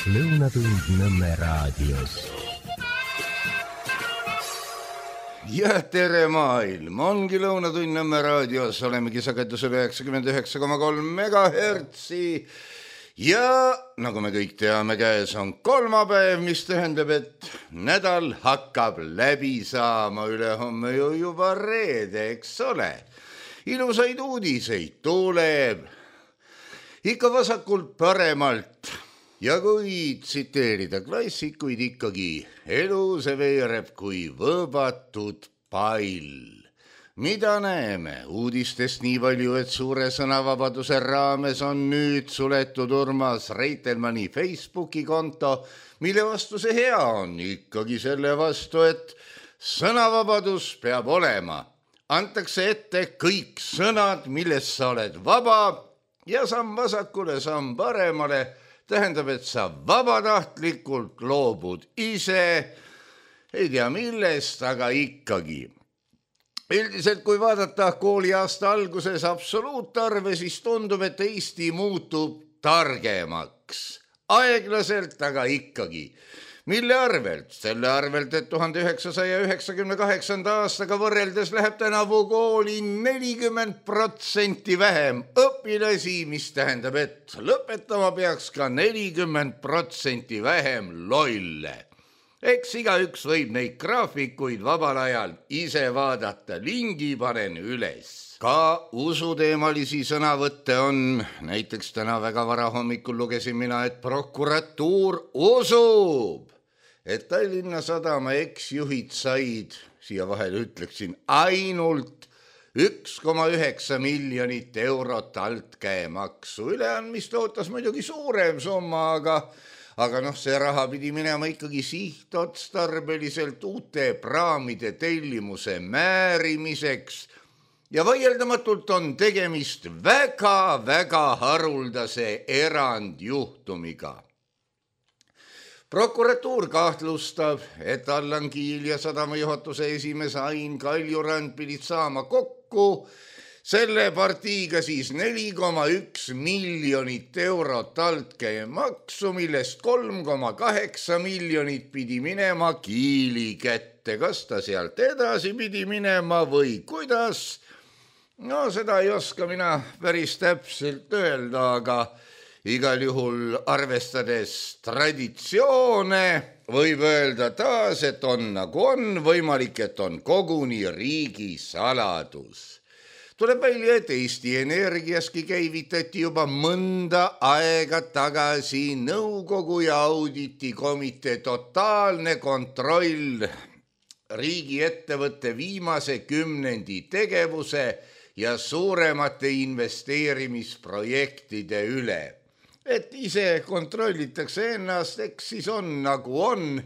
Lõunatund Nõmme raadios. Ja tere maailm, ongi Lõunatund Nõmme raadios, olemegi sagedusel 99,3 megahertsi ja nagu me kõik teame, käes on kolmapäev, mis tähendab, et nädal hakkab läbi saama, ülehomme ju juba reede, eks ole. Ilusaid uudiseid tuleb ikka vasakult paremalt ja kui tsiteerida klassikuid ikkagi, elu see veereb kui võõbatud pall. Mida näeme? Uudistest nii palju, et suure sõnavabaduse raames on nüüd suletud Urmas Reitelmanni Facebooki konto, mille vastu see hea on, ikkagi selle vastu, et sõnavabadus peab olema. Antakse ette kõik sõnad, millest sa oled vaba ja samm vasakule, samm paremale, tähendab, et sa vabatahtlikult loobud ise, ei tea millest, aga ikkagi. Üldiselt, kui vaadata kooliaasta alguses absoluutarve, siis tundub, et Eesti muutub targemaks. Aeglaselt, aga ikkagi. Mille arvelt? Selle arvelt, et 1998. aastaga võrreldes läheb tänavu kooli 40% vähem õpilasi, mis tähendab, et lõpetama peaks ka 40% vähem lolle. Eks igaüks võib neid graafikuid vabal ajal ise vaadata, lingi panen üles. Ka usuteemalisi sõnavõtte on, näiteks täna väga vara hommikul lugesin mina, et prokuratuur usub, et Tallinna Sadama eksjuhid said, siia vahele ütleksin, ainult 1,9 miljonit eurot altkäemaksu. Üleandmist ootas muidugi suurem summa, aga see raha pidi minema ikkagi sihtotstarbeliselt uute praamide tellimuse määrimiseks ja vaieldamatult on tegemist väga-väga haruldase erandjuhtumiga. Prokuratuur kahtlustab, et Allan Kiil ja sadama juhatuse esimees Ain Kaljurand pidid saama kokku selle partiiga siis 4,1 miljonit eurot altkäemaksu, millest 3,8 miljonit pidi minema Kiili kätte. Kas ta sealt edasi pidi minema või kuidas? No seda ei oska mina päris täpselt öelda, aga igal juhul arvestades traditsioone võib öelda taas, et on nagu on, võimalik, et on koguni riigisaladus. Tuleb välja, et Eesti Energiaski käivitati juba mõnda aega tagasi nõukogu ja auditikomitee totaalne kontroll riigiettevõtte viimase 10 tegevuse ja suuremate investeerimisprojektide üle. Et ise kontrollitakse ennast, eks siis on nagu on.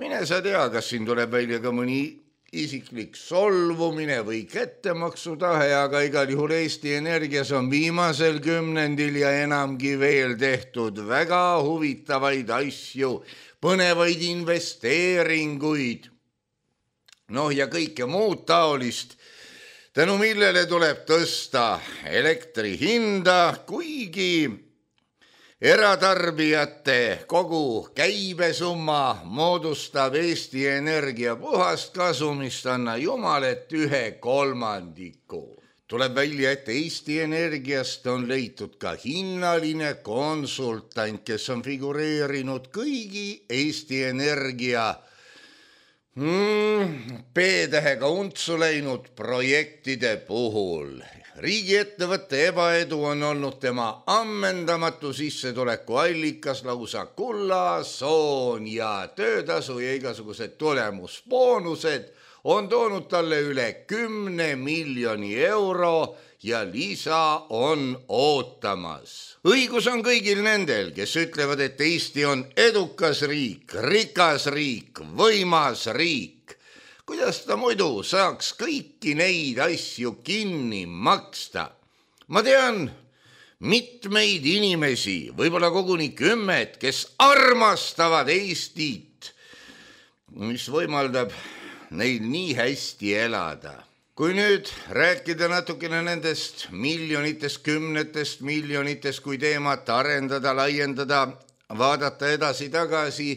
Mine sa tea, kas siin tuleb välja ka mõni isiklik solvumine või kättemaksutahe, aga igal juhul Eesti Energias on viimasel 10 ja enamgi veel tehtud väga huvitavaid asju, põnevaid investeeringuid, ja kõike muud taolist, tänu millele tuleb tõsta elektri hinda, kuigi eratarbijate kogu käibesumma moodustab Eesti Energia puhast kasumist, anna jumal, et 1/3. Tuleb välja, et Eesti Energiast on leitud ka hinnaline konsultant, kes on figureerinud kõigi Eesti Energia P-tähega untsu läinud projektide puhul. Riigiettevõtte ebaedu on olnud tema ammendamatu sissetuleku allikas, lausa kulla, soon ja töötasu ja igasugused tulemusboonused on toonud talle üle 10 miljoni euro ja lisa on ootamas. Õigus on kõigil nendel, kes ütlevad, et Eesti on edukas riik, rikas riik, võimas riik. Kuidas ta muidu saaks kõiki neid asju kinni maksta? Ma tean mitmeid inimesi, võib-olla koguni 10, kes armastavad Eestit, mis võimaldab neil nii hästi elada. Kui nüüd rääkida natukene nendest miljonitest, 10 miljonitest, kui teemat arendada, laiendada, vaadata edasi-tagasi,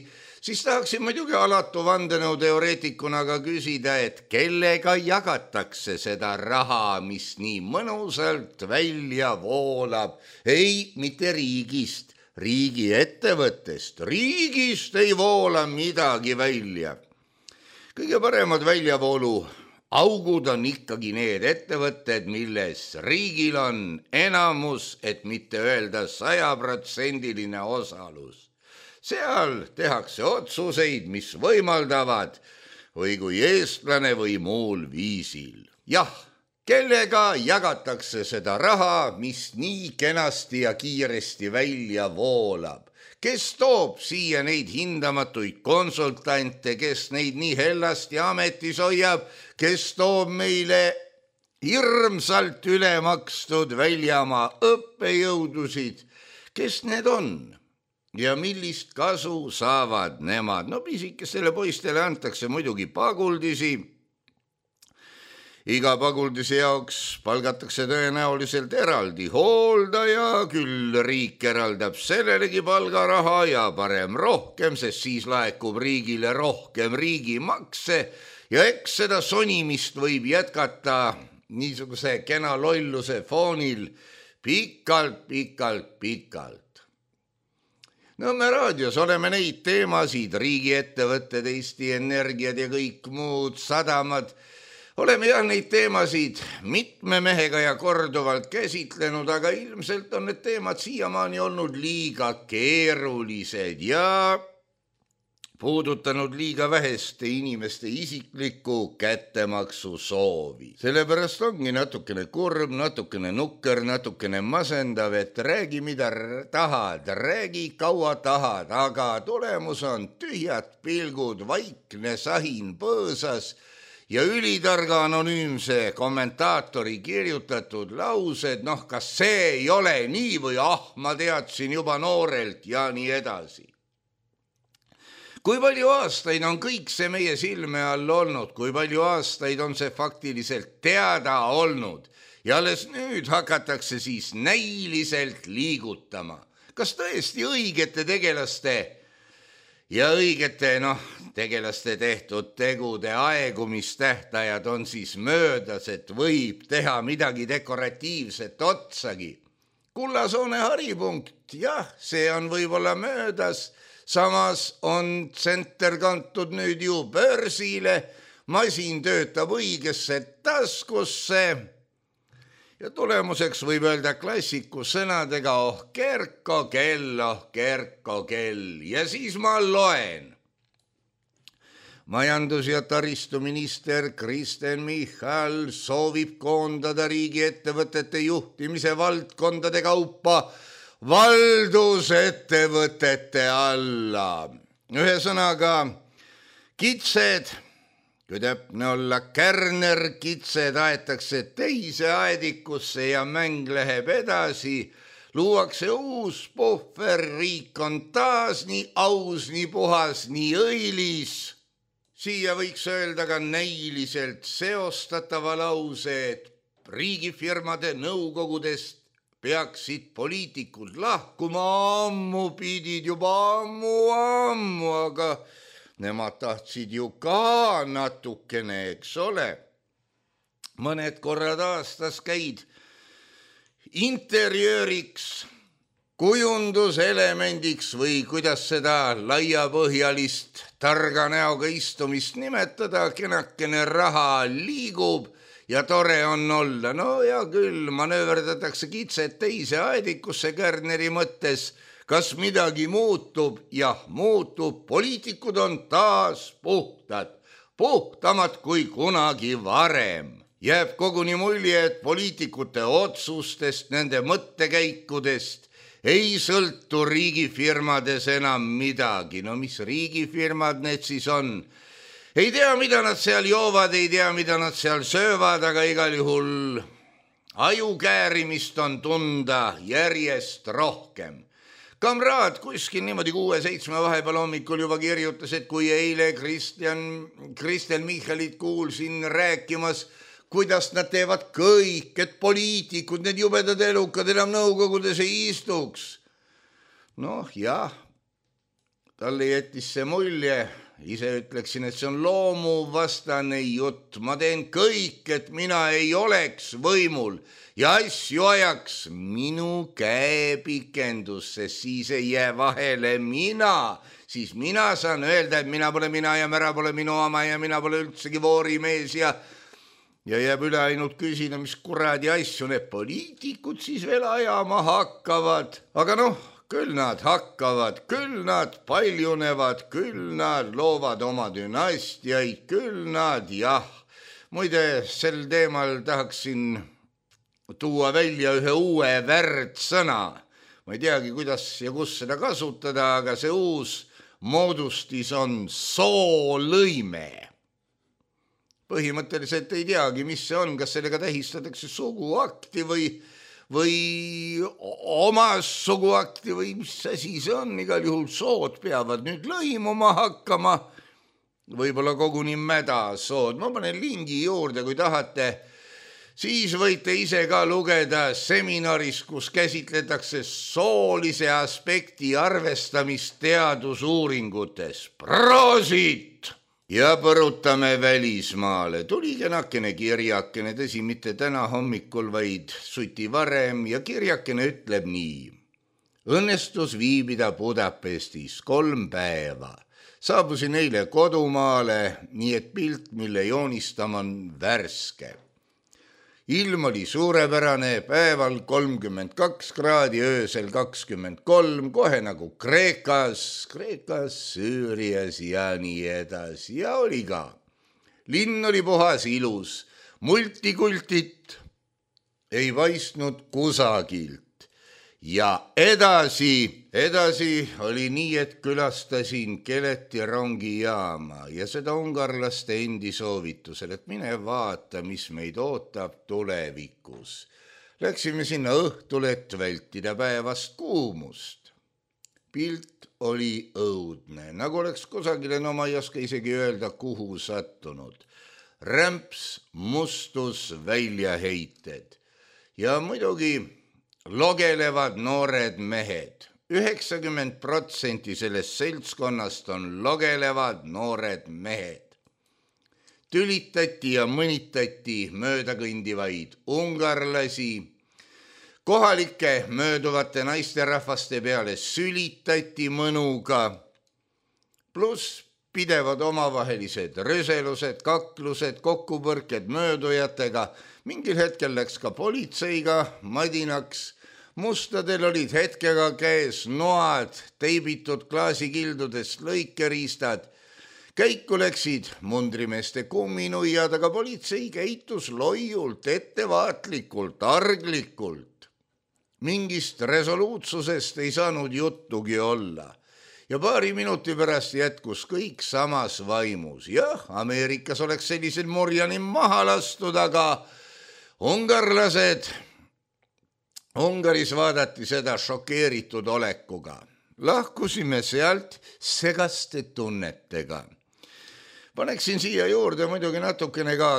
siis tahaksin muidugi alatu vandenõuteoreetikuna ka küsida, et kellega jagatakse seda raha, mis nii mõnusalt välja voolab. Ei, mitte riigist, riigiettevõttest. Riigist ei voola midagi välja. Kõige paremad väljavoolu augud on ikkagi need ettevõtted, milles riigil on enamus, et mitte öelda 100% osalus. Seal tehakse otsuseid, mis võimaldavad või kui eestlane või muul viisil. Jah, kellega jagatakse seda raha, mis nii kenasti ja kiiresti välja voolab? Kes toob siia neid hindamatuid konsultante, kes neid nii hellasti ametis hoiab, kes toob meile hirmsalt ülemakstud väljamaa õppejõudusid? Kes need on? Ja millist kasu saavad nemad? No pisikestele poistele antakse muidugi paguldisi. Iga paguldise jaoks palgatakse tõenäoliselt eraldi hooldaja, küll riik eraldab sellelegi palgaraha ja parem rohkem, sest siis laekub riigile rohkem riigimakse ja eks seda sonimist võib jätkata niisuguse kena lolluse foonil pikalt. Nõmme raadios oleme neid teemasid, riigiettevõtted, Eesti Energiad ja kõik muud sadamad, oleme jah neid teemasid mitme mehega ja korduvalt käsitlenud, aga ilmselt on need teemad siiamaani olnud liiga keerulised ja puudutanud liiga väheste inimeste isiklikku kättemaksu soovi. Sellepärast ongi natukene kurb, natukene nukker, natukene masendav, et räägi mida tahad, räägi kaua tahad, aga tulemus on tühjad pilgud, vaikne sahin põõsas ja ülitarga anonüümse kommentaatori kirjutatud laused, kas see ei ole nii või ma teadsin juba noorelt ja nii edasi. Kui palju aastaid on kõik see meie silme all olnud, kui palju aastaid on see faktiliselt teada olnud ja alles nüüd hakatakse siis näiliselt liigutama. Kas tõesti õigete tegelaste ja õigete tegelaste tehtud tegude aegumistähtajad on siis möödas, et võib teha midagi dekoratiivset otsagi? Kullasoone haripunkt, jah, see on võib-olla möödas, samas on tsenter kantud nüüd ju börsile, masin töötab õigesse taskusse ja tulemuseks võib öelda klassiku sõnadega kerko kell ja siis ma loen. Majandus- ja taristuminister Kristen Michal soovib koondada riigiettevõtete juhtimise valdkondade kaupa valdusettevõtete alla. Ühesõnaga, kitsed, kui täpne olla, kärnerkitsed aetakse teise aedikusse ja mäng läheb edasi. Luuakse uus puhver, riik on taas nii aus, nii puhas, nii õilis. Siia võiks öelda ka näiliselt seostatava lause, et riigifirmade nõukogudest peaksid poliitikud lahkuma, ammu pidid juba ammu, aga nemad tahtsid ju ka natukene, eks ole. Mõned korrad aastas käid interjööriks, kujunduselemendiks või kuidas seda laiapõhjalist targa näoga istumist nimetada, kenakene raha liigub ja tore on olla. No ja küll, manööverdatakse kitsed teise aedikusse Kärneri mõttes. Kas midagi muutub? Jah, muutub. Poliitikud on taas puhtad, puhtamad kui kunagi varem. Jääb koguni mulje, et poliitikute otsustest, nende mõttekäikudest ei sõltu riigifirmades enam midagi. No mis riigifirmad need siis on? Ei tea, mida nad seal joovad, ei tea, mida nad seal söövad, aga igal juhul ajukäärimist on tunda järjest rohkem. Kamraad kuskil niimoodi 6-7 vahepeal hommikul juba kirjutas, et kui eile Kristen Michalit kuulsin rääkimas, kuidas nad teevad kõik, et poliitikud, need jubedad elukad enam nõukogudes ei istuks. Noh jah, talle jättis see mulje, ise ütleksin, et see on loomuvastane jutt. Ma teen kõik, et mina ei oleks võimul ja asju ajaks minu käepikendus, sest siis ei jää vahele mina. Siis mina saan öelda, et mina pole mina ja mära pole minu oma ja mina pole üldsegi voorimees ja jääb üle ainult küsida, mis kuradi asju need poliitikud siis veel ajama hakkavad. Aga noh, küll nad hakkavad, küll nad paljunevad, küll nad loovad oma dünastiaid, küll nad jah. Muide, sel teemal tahaksin tuua välja ühe uue värdsõna. Ma ei teagi, kuidas ja kus seda kasutada, aga see uus moodustis on soolõime. Põhimõtteliselt ei teagi, mis see on, kas sellega tähistatakse suguakti või omas suguakti või mis asi see on. Igal juhul sood peavad nüüd lõimuma hakkama, võib-olla koguni mädasood. Ma panen lingi juurde, kui tahate. Siis võite ise ka lugeda seminaris, kus käsitletakse soolise aspekti arvestamist teadusuuringutes. Proosit! Ja põrutame välismaale. Tuli kenakene kirjakene, tõsi mitte täna hommikul, vaid suti varem ja kirjakene ütleb nii. Õnnestus viibida Budapestis 3 päeva. Saabusin eile kodumaale, nii et pilt, mille joonistama on värske. Ilm oli suurepärane, päeval 32 kraadi, öösel 23, kohe nagu Kreekas, Süürias ja nii edasi. Ja oli ka. Linn oli puhas ilus, multikultit ei paistnud kusagilt. Ja edasi oli nii, et külastasin Keleti rongijaama ja seda ungarlaste endi soovitusel, et mine vaata, mis meid ootab tulevikus. Läksime sinna õhtul, et vältida päevast kuumust. Pilt oli õudne, nagu oleks kusagile, no ma ei oska isegi öelda, kuhu sattunud. Rämps, mustus, väljaheited ja muidugi logelevad noored mehed. 90% sellest seltskonnast on logelevad noored mehed. Tülitati ja mõnitati möödakõndivaid ungarlasi. Kohalike mööduvate naisterahvaste peale sülitati mõnuga. Pluss pidevad omavahelised röselused, kaklused, kokkupõrked möödujatega. Mingil hetkel läks ka politseiga madinaks. Mustadel olid hetkega käes noad, teibitud klaasikildudest lõikeriistad. Käiku läksid mundrimeeste kumminuiad, aga politsei käitus loiult, ettevaatlikult, arglikult. Mingist resoluutsusest ei saanud juttugi olla. Ja paari minuti pärast jätkus kõik samas vaimus. Jah, Ameerikas oleks sellisel murjanim maha lastud, aga Ungaris vaadati seda šokeeritud olekuga. Lahkusime sealt segaste tunnetega. Paneksin siia juurde muidugi natukene ka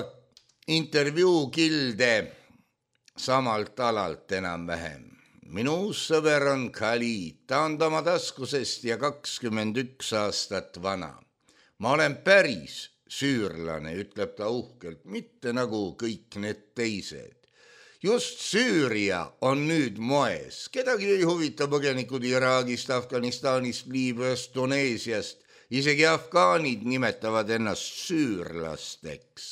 intervjuukilde samalt alalt enam-vähem. Minu uus sõber on Khalid, ta on oma taskusest ja 21 aastat vana. Ma olen päris süürlane, ütleb ta uhkelt, mitte nagu kõik need teised. Just Süüria on nüüd moes. Kedagi ei huvita põgenikud Iraagist, Afganistanist, Liibüast, Tuneesiast. Isegi afgaanid nimetavad ennast süürlasteks.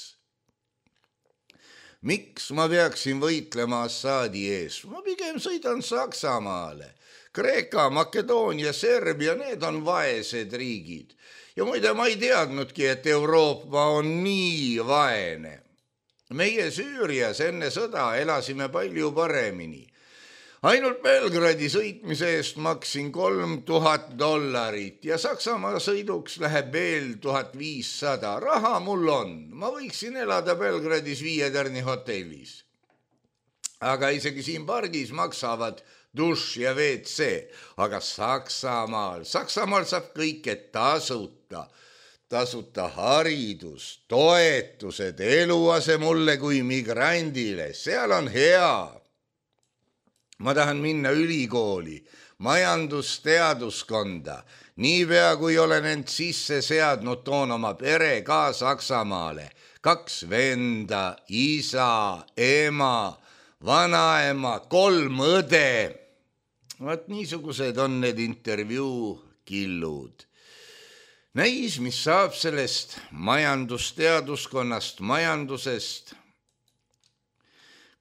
Miks ma peaksin võitlema Assadi ees? Ma pigem sõidan Saksamaale. Kreeka, Makedoonia, Serbia, need on vaesed riigid. Ja muide, ma ei teadnudki, et Euroopa on nii vaene. Meie Süürias enne sõda elasime palju paremini. Ainult Belgradi sõitmise eest maksin $3000 ja Saksamaa sõiduks läheb veel 1500. Raha mul on. Ma võiksin elada Belgradis 5-tärni hotellis. Aga isegi siin pargis maksavad duš ja WC. Aga Saksamaal saab kõike tasuta. Tasuta haridus, toetused, eluase mulle kui migrandile. Seal on hea. Ma tahan minna ülikooli. majandusteaduskonda. Niipea kui olen end sisse seadnud, toon oma pere ka Saksamaale. 2 venda, isa, ema, vanaema, 3 õde. Vaat niisugused on need intervjuu killud. Näis, mis saab sellest majandusteaduskonnast, majandusest.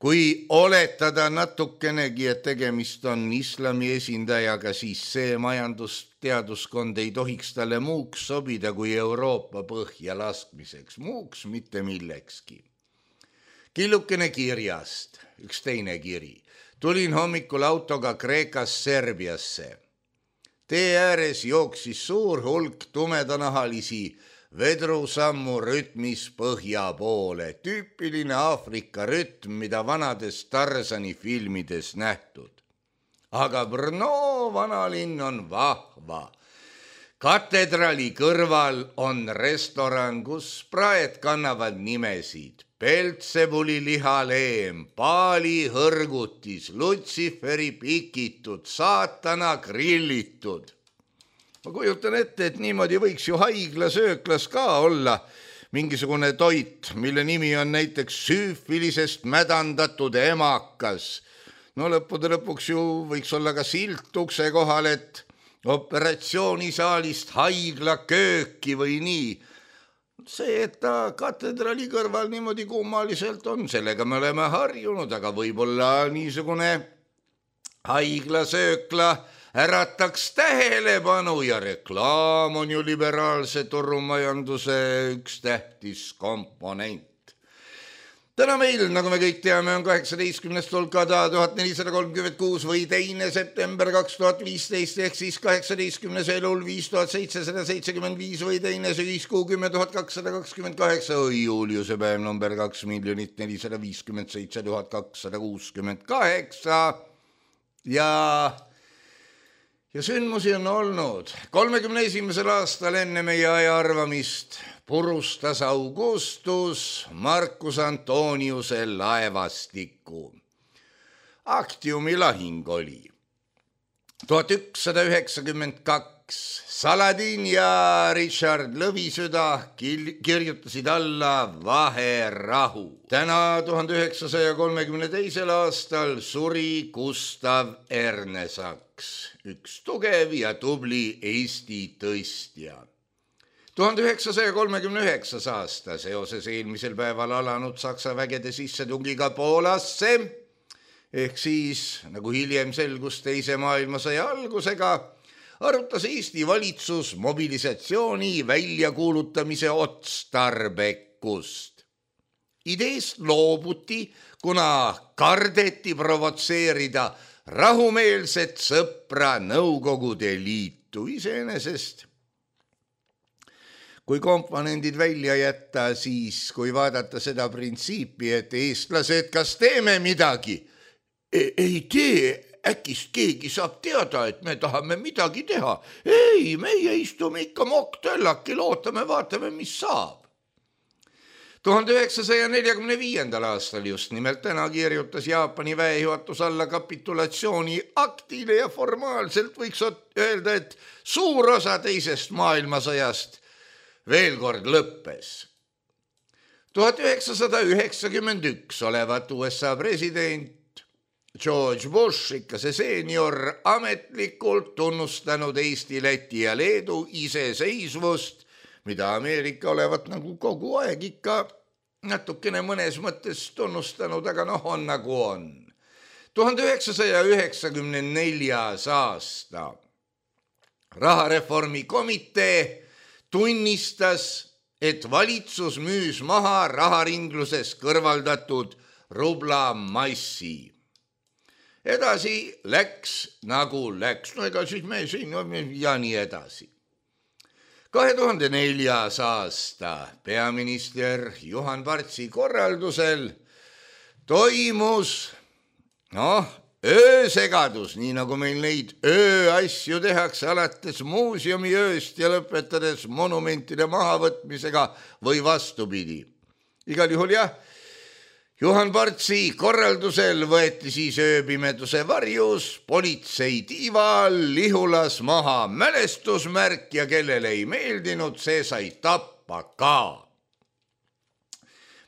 Kui oletada natukenegi, et tegemist on islami esindajaga, siis see majandusteaduskond ei tohiks talle muuks sobida kui Euroopa põhja laskmiseks, muuks mitte millekski. Killukene kirjast, üks teine kiri. Tulin hommikul autoga Kreekast Serbiasse. Tee ääres jooksis suur hulk tumedanahalisi vedrusammu rütmis põhja poole. Tüüpiline Aafrika rütm, mida vanades Tarzani filmides nähtud. Aga Brno vanalinn on vahva. Katedrali kõrval on restoran, kus praed kannavad nimesid. Peltsebuli lihaleem, Paali hõrgutis, Lutsiferi pikitud, saatana grillitud. Ma kujutan ette, et niimoodi võiks ju haiglasööklas ka olla mingisugune toit, mille nimi on näiteks süüfilisest mädandatud emakas. No lõppude lõpuks ju võiks olla ka silt ukse kohal, et operatsioonisaalist haigla kööki või nii. See, et ta katedrali kõrval niimoodi kummaliselt on, sellega me oleme harjunud, aga võib-olla niisugune haiglasöökla ärataks tähelepanu ja reklaam on ju liberaalse turumajanduse üks tähtis komponent. Täna meil, nagu me kõik teame, on 18. Tolkada 1436 või 2. september 2015 ehk siis 18. elul 5775 või 2. sügiskuu 10228 või Juliuse päev number 2 457 268 ja sündmusi on olnud. 31. aastal enne meie aja arvamist purustas Augustus Marcus Antoniuse laevastiku. Actiumi lahing oli 1192. Saladin ja Richard Lõvisüda kirjutasid alla vaherahu. Täna 1932. aastal suri Gustav Ernesaks, üks tugev ja tubli Eesti tõstja. 1939. aasta seoses eelmisel päeval alanud Saksa vägede sissetungiga Poolasse, ehk siis, nagu hiljem selgus teise maailmasõja algusega, arutas Eesti valitsus mobilisatsiooni väljakuulutamise otstarbekust. Ideest loobuti, kuna kardeti provotseerida rahumeelset sõpra Nõukogude Liitu iseenesest. Kui komponendid välja jätta, siis kui vaadata seda printsiipi, et eestlased, kas teeme midagi? Ei tee, äkist keegi saab teada, et me tahame midagi teha. Ei, meie istume ikka mokktöllakil, ootame, vaatame, mis saab. 1945. aastal just nimelt täna kirjutas Jaapani väejuhatus alla kapitulatsiooni aktile ja formaalselt võiks öelda, et suur osa teisest maailmasõjast veel kord lõppes. 1991 olevat USA president George Bush, ikka see seenior, ametlikult tunnustanud Eesti, Läti ja Leedu iseseisvust, mida Ameerika olevat nagu kogu aeg ikka natukene mõnes mõttes tunnustanud, aga on nagu on. 1994. aasta rahareformi komitee tunnistas, et valitsus müüs maha raharingluses kõrvaldatud rublamassi. Edasi läks nagu läks, no ega siis me siin ja nii edasi. 2004. aasta peaminister Juhan Partsi korraldusel toimus öösegadus, nii nagu meil neid ööasju tehakse alates muuseumiööst ja lõpetades monumentide mahavõtmisega või vastupidi. Igal juhul jah, Juhan Partsi korraldusel võeti siis ööpimeduse varjus politsei tiiva all Lihulas maha mälestusmärk ja kellele ei meeldinud, see sai tappa ka.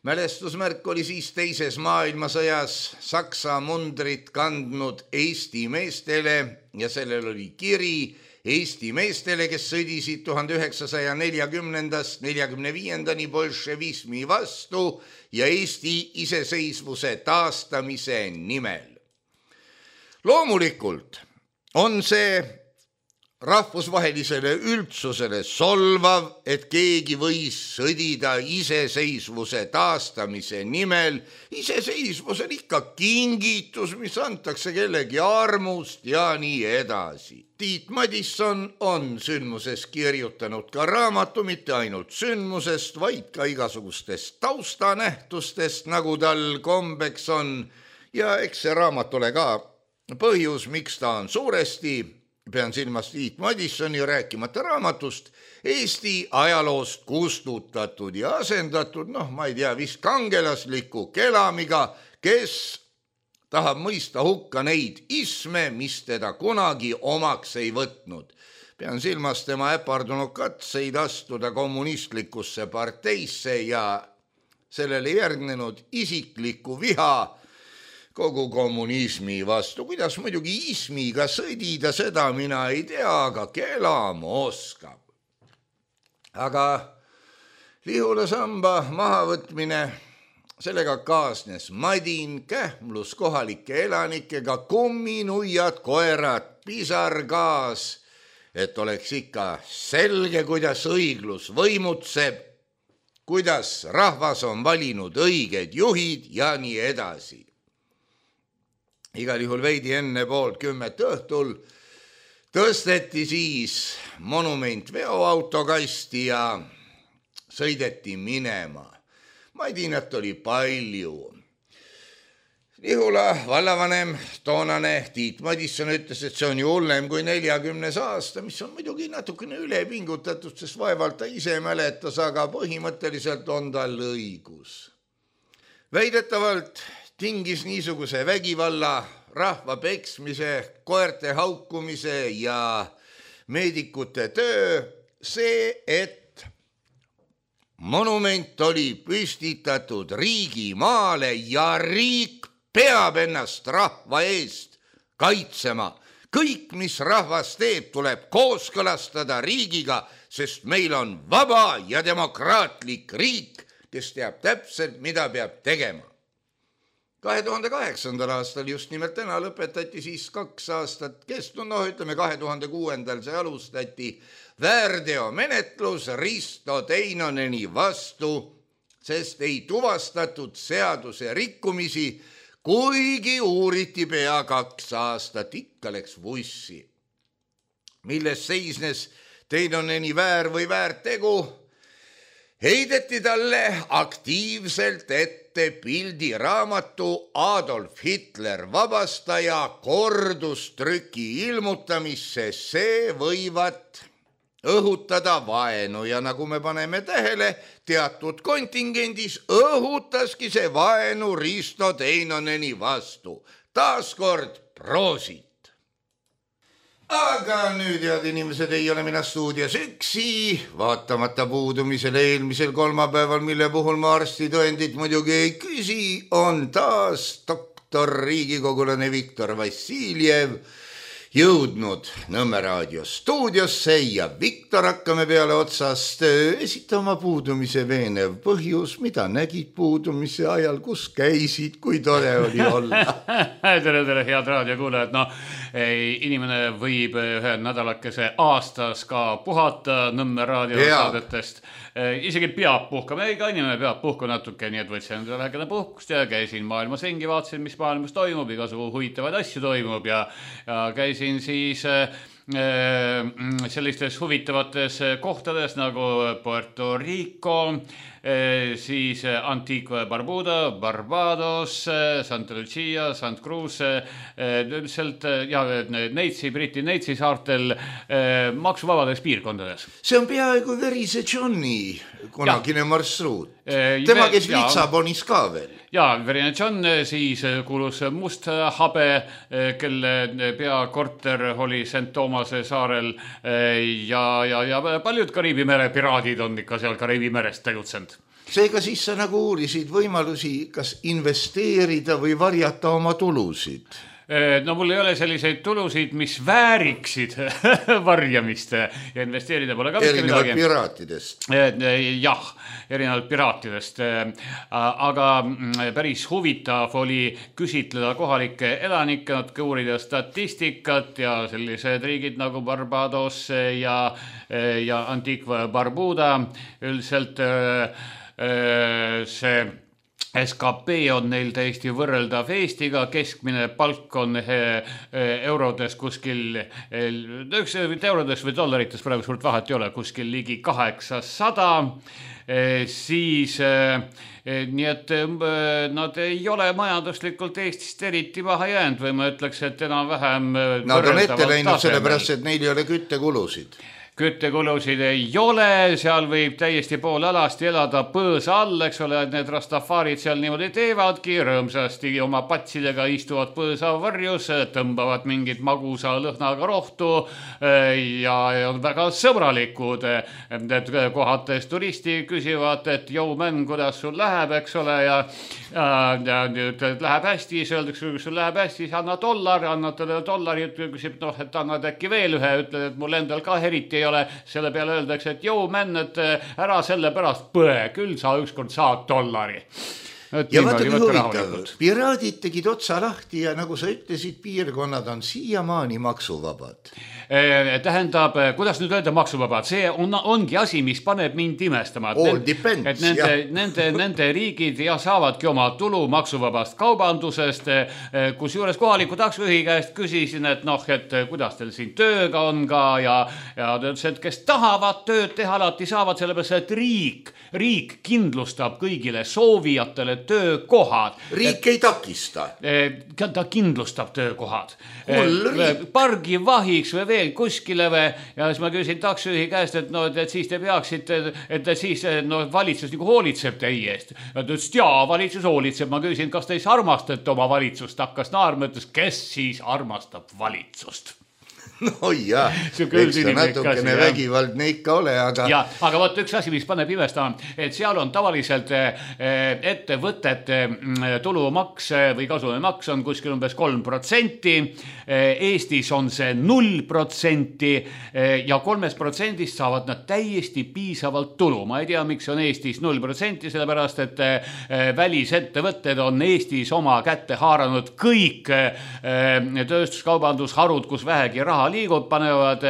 Mälestusmärk oli siis teises maailmasõjas Saksa mundrit kandnud Eesti meestele ja sellel oli kiri Eesti meestele, kes sõdisid 1940-45 bolševismi vastu ja Eesti iseseisvuse taastamise nimel. Loomulikult on see rahvusvahelisele üldsusele solvav, et keegi võis sõdida iseseisvuse taastamise nimel. Iseseisvus on ikka kingitus, mis antakse kellegi armust ja nii edasi. Tiit Madisson on sündmusest kirjutanud ka raamatu, mitte ainult sündmusest, vaid ka igasugustest taustanähtustest, nagu tal kombeks on. Ja eks see raamat ole ka põhjus, miks ta on suuresti, pean silmas Tiit Madissoni rääkimata raamatust, Eesti ajaloost kustutatud ja asendatud, ma ei tea, vist kangelasliku kelamiga, kes tahab mõista hukka neid isme, mis teda kunagi omaks ei võtnud. Pean silmas tema äpardunud katseid astuda kommunistlikusse parteisse ja sellele järgnenud isiklikku viha kogu kommunismi vastu. Kuidas muidugi ismiga sõdida, seda mina ei tea, aga kelam oskab. Aga Lihula samba mahavõtmine, sellega kaasnes madin, kähmlus kohalike elanikega, kumminuiad, koerad, pisargaas, et oleks ikka selge, kuidas õiglus võimutseb, kuidas rahvas on valinud õiged juhid ja nii edasi. Igal juhul veidi enne 9:30 õhtul tõsteti siis monument veoautokasti ja sõideti minema. Madinat oli palju. Lihula vallavanem, toonane Tiit Madisson ütles, et see on ju hullem kui 40. aasta, mis on muidugi natukene ülepingutatud, sest vaevalt ta ise mäletas, aga põhimõtteliselt on tal õigus. Väidetavalt tingis niisuguse vägivalla, rahva peksmise, koerte haukumise ja meedikute töö see, et monument oli püstitatud riigimaale ja riik peab ennast rahva eest kaitsema. Kõik, mis rahvas teeb, tuleb kooskõlastada riigiga, sest meil on vaba ja demokraatlik riik, kes teab täpselt, mida peab tegema. 2008. aastal just nimelt täna lõpetati siis 2 aastat kestnud, 2006. see alustati väärteomenetlus Risto Teinoneni vastu, sest ei tuvastatud seaduse rikkumisi, kuigi uuriti pea 2 aastat, ikka läks vussi. Milles seisnes Teinoneni väär või väärtegu? Heideti talle aktiivselt ette pildiraamatu Adolf Hitler vabastaja kordustrüki ilmutamisse, see võivat õhutada vaenu ja nagu me paneme tähele, teatud kontingendis õhutaski see vaenu Risto Teinoneni vastu. Taaskord proosit. Aga nüüd, head inimesed, ei ole mina stuudios üksi, vaatamata puudumisele eelmisel kolmapäeval, mille puhul ma arstitõendit muidugi ei küsi, on taas doktor riigikogulane Viktor Vassiljev jõudnud Nõmme raadio stuudiosse ja Viktor, hakkame peale otsast esitama puudumise veenev põhjus, mida nägid puudumise ajal, kus käisid, kui tore oli olla. tere, head raadiokuulajad. Inimene võib ühe nädalakese aastas ka puhata Nõmme raadiosaadetest. Isegi peab puhkama, ega inimene peab puhku natuke, nii et võtsin endale väikene puhkust ja käisin maailmas ringi, vaatasin, mis maailmas toimub, igasugu huvitavaid asju toimub ja käisin siis sellistes huvitavates kohtades nagu Puerto Rico, siis Antigua Barbuda, Barbados, Santa Lucia, St Cruz, üldiselt ja Briti Neitsi saartel maksuvabades piirkondades. See on peaaegu verise Johni kunagine marsruut. Tema kes Litsabonis ka veel. Ja, verine John siis kuulus Must Habe, kelle peakorter oli St Thomase saarel ja paljud Kariibi mere piraadid on ikka seal Kariibi merest tegutsenud. Seega siis sa nagu uurisid võimalusi kas investeerida või varjata oma tulusid? No mul ei ole selliseid tulusid, mis vääriksid varjamist ja investeerida pole ka erinevalt piraatidest. Jah, erinevalt piraatidest. Aga päris huvitav oli küsitleda kohalikke elanikke, natuke uurida statistikat ja sellised riigid nagu Barbados ja Antigua Barbuda. Üldiselt see SKP on neil täiesti võrreldav Eestiga, keskmine palk on eurodes kuskil, eurodes või dollarites praegu suurt vahet ei ole, kuskil ligi 800, siis nii et nad ei ole majanduslikult Eestist eriti maha jäänud või ma ütleks, et enam-vähem nad on ette läinud sellepärast, et neil ei ole küttekulusid. Küttekulusid ei ole, seal võib täiesti pool alasti elada põõsa all, eks ole, need rastafarid seal niimoodi teevadki, rõõmsasti oma patsidega istuvad põõsa varjus, tõmbavad mingit magusa lõhnaga rohtu ja on väga sõbralikud. Need kohates turisti küsivad, et jõu men, kuidas sul läheb, eks ole, ja läheb hästi, siis öeldakse, kui sul läheb hästi, siis anna $, annad talle $, küsib, et annad äkki veel ühe, ütled, et mul endal ka eriti ei ole, selle peale öeldakse, et jõu men, et ära selle pärast põe, küll sa ükskord saad $. Ja vaata kui huvitav, piraadid tegid otsa lahti ja nagu sa ütlesid, piirkonnad on siiamaani maksuvabad. Tähendab, kuidas nüüd öelda maksuvabad, see ongi asi, mis paneb mind imestama. All depends, nende riigid saavadki oma tulu maksuvabast kaubandusest, kus juures kohaliku taksojuhi käest küsisin, et et kuidas teil siin tööga on ka ja ta ütles, et kes tahavad tööd teha alati saavad, sellepärast, et riik kindlustab kõigile soovijatele töökohad. Riik ei takista. Ta kindlustab töökohad. Pargi vahiks või veel kuskile ja siis ma küsin taksojuhi käest, et siis te peaksite, et siis valitsus nagu hoolitseb teie eest. Ta ütles, et jaa, valitsus hoolitseb. Ma küsin, kas te siis armastate oma valitsust? Hakkas naarma, ütles, kes siis armastab valitsust? No jah, eks ta natukene vägivaldne ikka ole, aga... Ja, aga võt üks asi, mis paneb imestama, et seal on tavaliselt ettevõtete tulumaks või kasumimaks on kuskil umbes 3%, Eestis on see 0% ja 3% saavad nad täiesti piisavalt tulu. Ma ei tea, miks on Eestis 0%, sellepärast, et välisettevõtted on Eestis oma kätte haaranud kõik tööstuskaubandusharud, kus vähegi raha liigub, panevad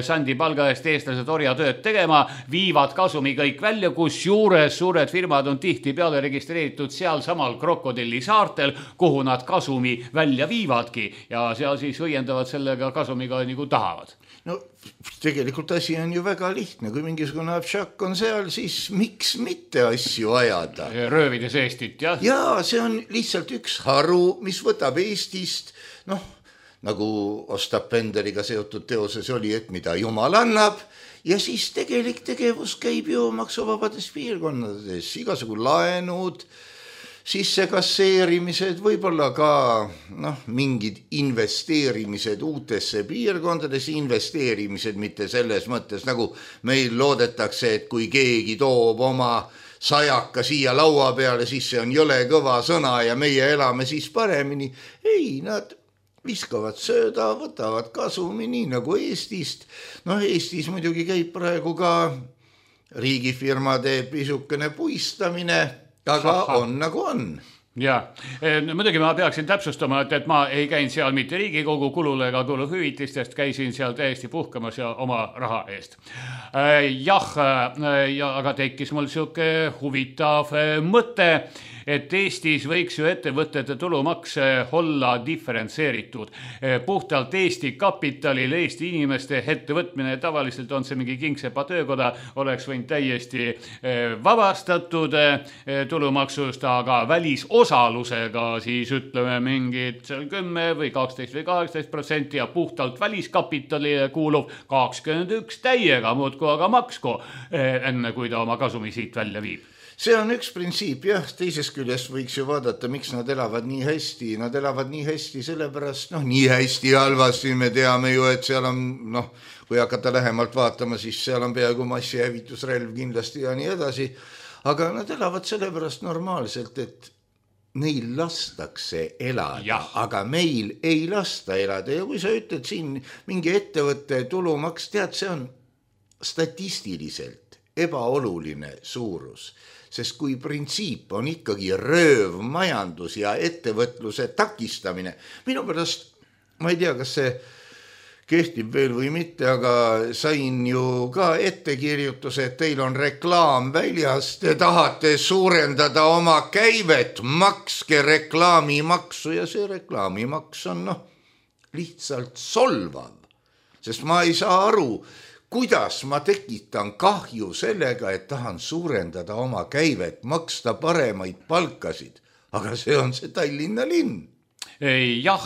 sandi palga eest eestlased orjatööd tegema, viivad kasumi kõik välja, kus juures suured firmad on tihti peale registreeritud seal samal Krokodilli saartel, kuhu nad kasumi välja viivadki ja seal siis õiendavad sellega kasumiga nagu tahavad. No tegelikult asi on ju väga lihtne, kui mingisugune abšak on seal, siis miks mitte asju ajada? Röövides Eestit, jah? Jaa, see on lihtsalt üks haru, mis võtab Eestist, nagu Ostap Benderiga seotud teoses oli, et mida Jumal annab ja siis tegelik tegevus käib ju maksuvabades piirkonnades, igasugu laenud, sissekasseerimised, võib-olla ka mingid investeerimised uutesse piirkondades, investeerimised mitte selles mõttes, nagu meil loodetakse, et kui keegi toob oma 100 siia laua peale, siis see on jõle kõva sõna ja meie elame siis paremini. Ei, nad viskavad sööda, võtavad kasumi nii nagu Eestist. Eestis muidugi käib praegu ka riigifirmade pisukene puistamine, aga on nagu on. Ja, muidugi ma peaksin täpsustama, et ma ei käin seal mitte Riigikogu kulule ega kuluhüvitistest, käisin seal täiesti puhkamas ja oma raha eest. Jah, aga tekkis mul siuke huvitav mõte, et Eestis võiks ju ettevõtete tulumaks olla diferentseeritud. Puhtalt Eesti kapitalil, Eesti inimeste ettevõtmine, tavaliselt on see mingi Kingsepa töökoda, oleks võinud täiesti vabastatud tulumaksust, aga välisosalusega siis ütleme mingid 10 või 12 või 18% ja puhtalt väliskapitalile kuuluv 21 täiega muudku aga maksku, enne kui ta oma kasumi siit välja viib. See on üks printsiip, jah, teisest küljest võiks ju vaadata, miks nad elavad nii hästi. Nad elavad nii hästi sellepärast, nii hästi halvasti, me teame ju, et seal on, kui hakata lähemalt vaatama, siis seal on peaaegu massihävitusrelv kindlasti ja nii edasi. Aga nad elavad sellepärast normaalselt, et neil lastakse elada, aga meil ei lasta elada. Ja kui sa ütled siin mingi ettevõtte tulumaks, tead, see on statistiliselt ebaoluline suurus. Sest kui printsiip on ikkagi rööv majandus ja ettevõtluse takistamine, minu pärast, ma ei tea, kas see kehtib veel või mitte, aga sain ju ka ettekirjutuse, et teil on reklaam väljas, te tahate suurendada oma käivet, makske reklaamimaksu ja see reklaamimaks on lihtsalt solvav, sest ma ei saa aru, kuidas ma tekitan kahju sellega, et tahan suurendada oma käivet, maksta paremaid palkasid, aga see on see Tallinna linn. Jah,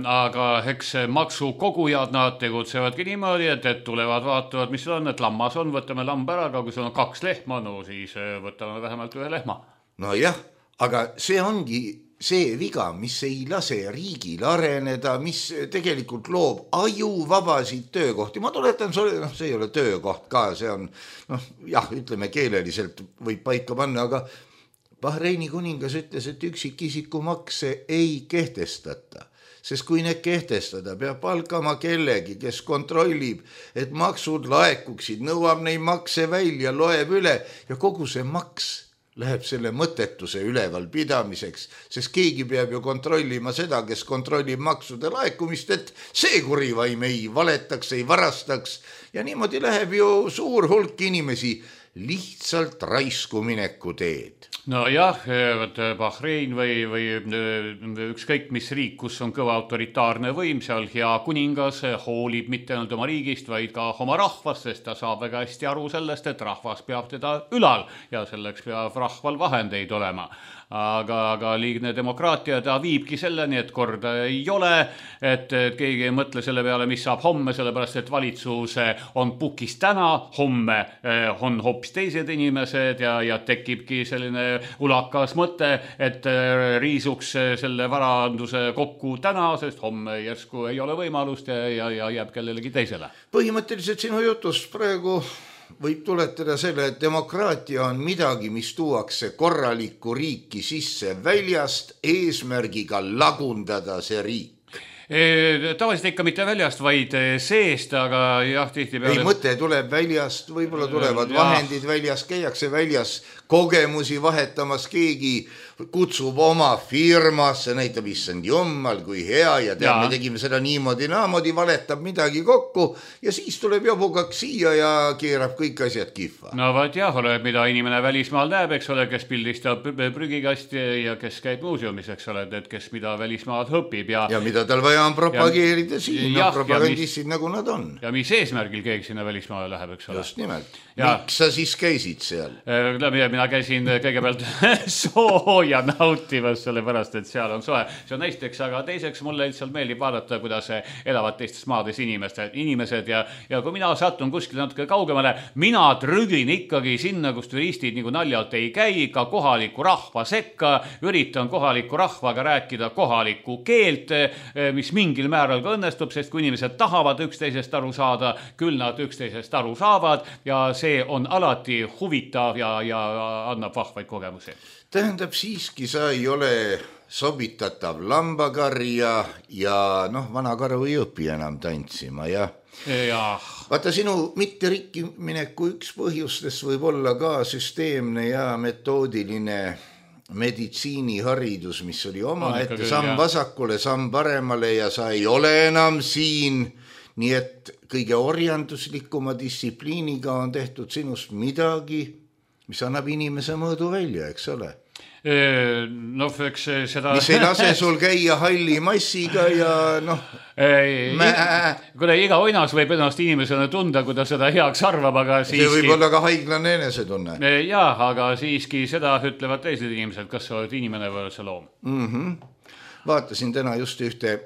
aga eks maksukogujad, nad tegutsevadki niimoodi, et tulevad, vaatavad, mis on, et lammas on, võtame lamba ära, aga kui sul on 2 lehma, siis võtame vähemalt 1 lehma. No jah, aga see ongi see viga, mis ei lase riigil areneda, mis tegelikult loob ajuvabasid töökohti. Ma tuletan sulle, see ei ole töökoht ka, see on, ütleme keeleliselt võib paika panna, aga Bahreini kuningas ütles, et üksikisiku makse ei kehtestata. Sest kui need kehtestada, peab palkama kellegi, kes kontrollib, et maksud laekuksid, nõuab neid makse välja, loeb üle ja kogu see maks läheb selle mõttetuse üleval pidamiseks, sest keegi peab ju kontrollima seda, kes kontrollib maksude laekumist, et see kurivaim ei valetaks, ei varastaks ja niimoodi läheb ju suur hulk inimesi lihtsalt raisku mineku teed. No jah, Bahrein või ükskõik mis riik, kus on kõva autoritaarne võim, seal hea kuningas hoolib mitte ainult oma riigist, vaid ka oma rahvast, sest ta saab väga hästi aru sellest, et rahvas peab teda ülal ja selleks peab rahval vahendeid olema. Aga liigne demokraatia ta viibki selleni, et korda ei ole, et keegi ei mõtle selle peale, mis saab homme, sellepärast et valitsus on pukis täna, homme on hoopis teised inimesed ja tekibki selline ulakas mõte, et riisuks selle varanduse kokku täna, sest homme järsku ei ole võimalust ja jääb kellelegi teisele. Põhimõtteliselt sinu jutus praegu võib tuletada selle, et demokraatia on midagi, mis tuuakse korralikku riiki sisse väljast eesmärgiga lagundada see riik. Tavaliselt ikka mitte väljast, vaid seest, aga jah, tihtipeale... Ei, mõte tuleb väljast, võib-olla tulevad vahendid väljast, käiakse väljas kogemusi vahetamas, keegi kutsub oma firmasse, näitab issand jummal, kui hea ja tead, me tegime seda niimoodi, naamoodi, valetab midagi kokku ja siis tuleb jabugaks siia ja keerab kõik asjad kihva. No vaat jah, ole, mida inimene välismaal näeb, eks ole, kes pildistab prügikasti ja kes käib muuseumis, eks ole, et kes mida välismaad õpib ja mida tal vaja on propageerida siin, propagandistid nagu nad on. Ja mis eesmärgil keegi sinna välismaale läheb, eks ole. Just nimelt. Miks sa siis käisid seal? Mina käisin kõigepealt sooja nautimas, sellepärast, et seal on soe. See on näiteks, aga teiseks mulle lihtsalt meeldib vaadata, kuidas elavad teistes maades inimesed ja kui mina satun kuskil natuke kaugemale, mina trügin ikkagi sinna, kus turistid nagu naljalt ei käi, ka kohaliku rahva sekka, üritan kohaliku rahvaga rääkida kohalikku keelt, mis mingil määral ka õnnestub, sest kui inimesed tahavad üksteisest aru saada, küll nad üksteisest aru saavad ja see on alati huvitav ja annab vahvaid kogemusi. Tähendab siiski, sa ei ole sobitatav lambakarja ja vana karu ei õpi enam tantsima, jah? Vaata, sinu mitte rikki mineku üks põhjustest võib olla ka süsteemne ja metoodiline meditsiiniharidus, mis oli omaette samm vasakule, samm paremale ja sa ei ole enam siin, nii et kõige orjanduslikuma distsipliiniga on tehtud sinust midagi, mis annab inimese mõõdu välja, eks ole? No, eks seda... Mis ei lase sul käia halli massiga ja noh... Kuna iga oinas võib ennast inimesena tunda, kui ta seda heaks arvab, aga siiski... See võib olla ka haiglane enesetunne. Jaa, aga siiski seda ütlevad teised inimesed, kas sa oled inimene või sa loom. Vaatasin täna just ühte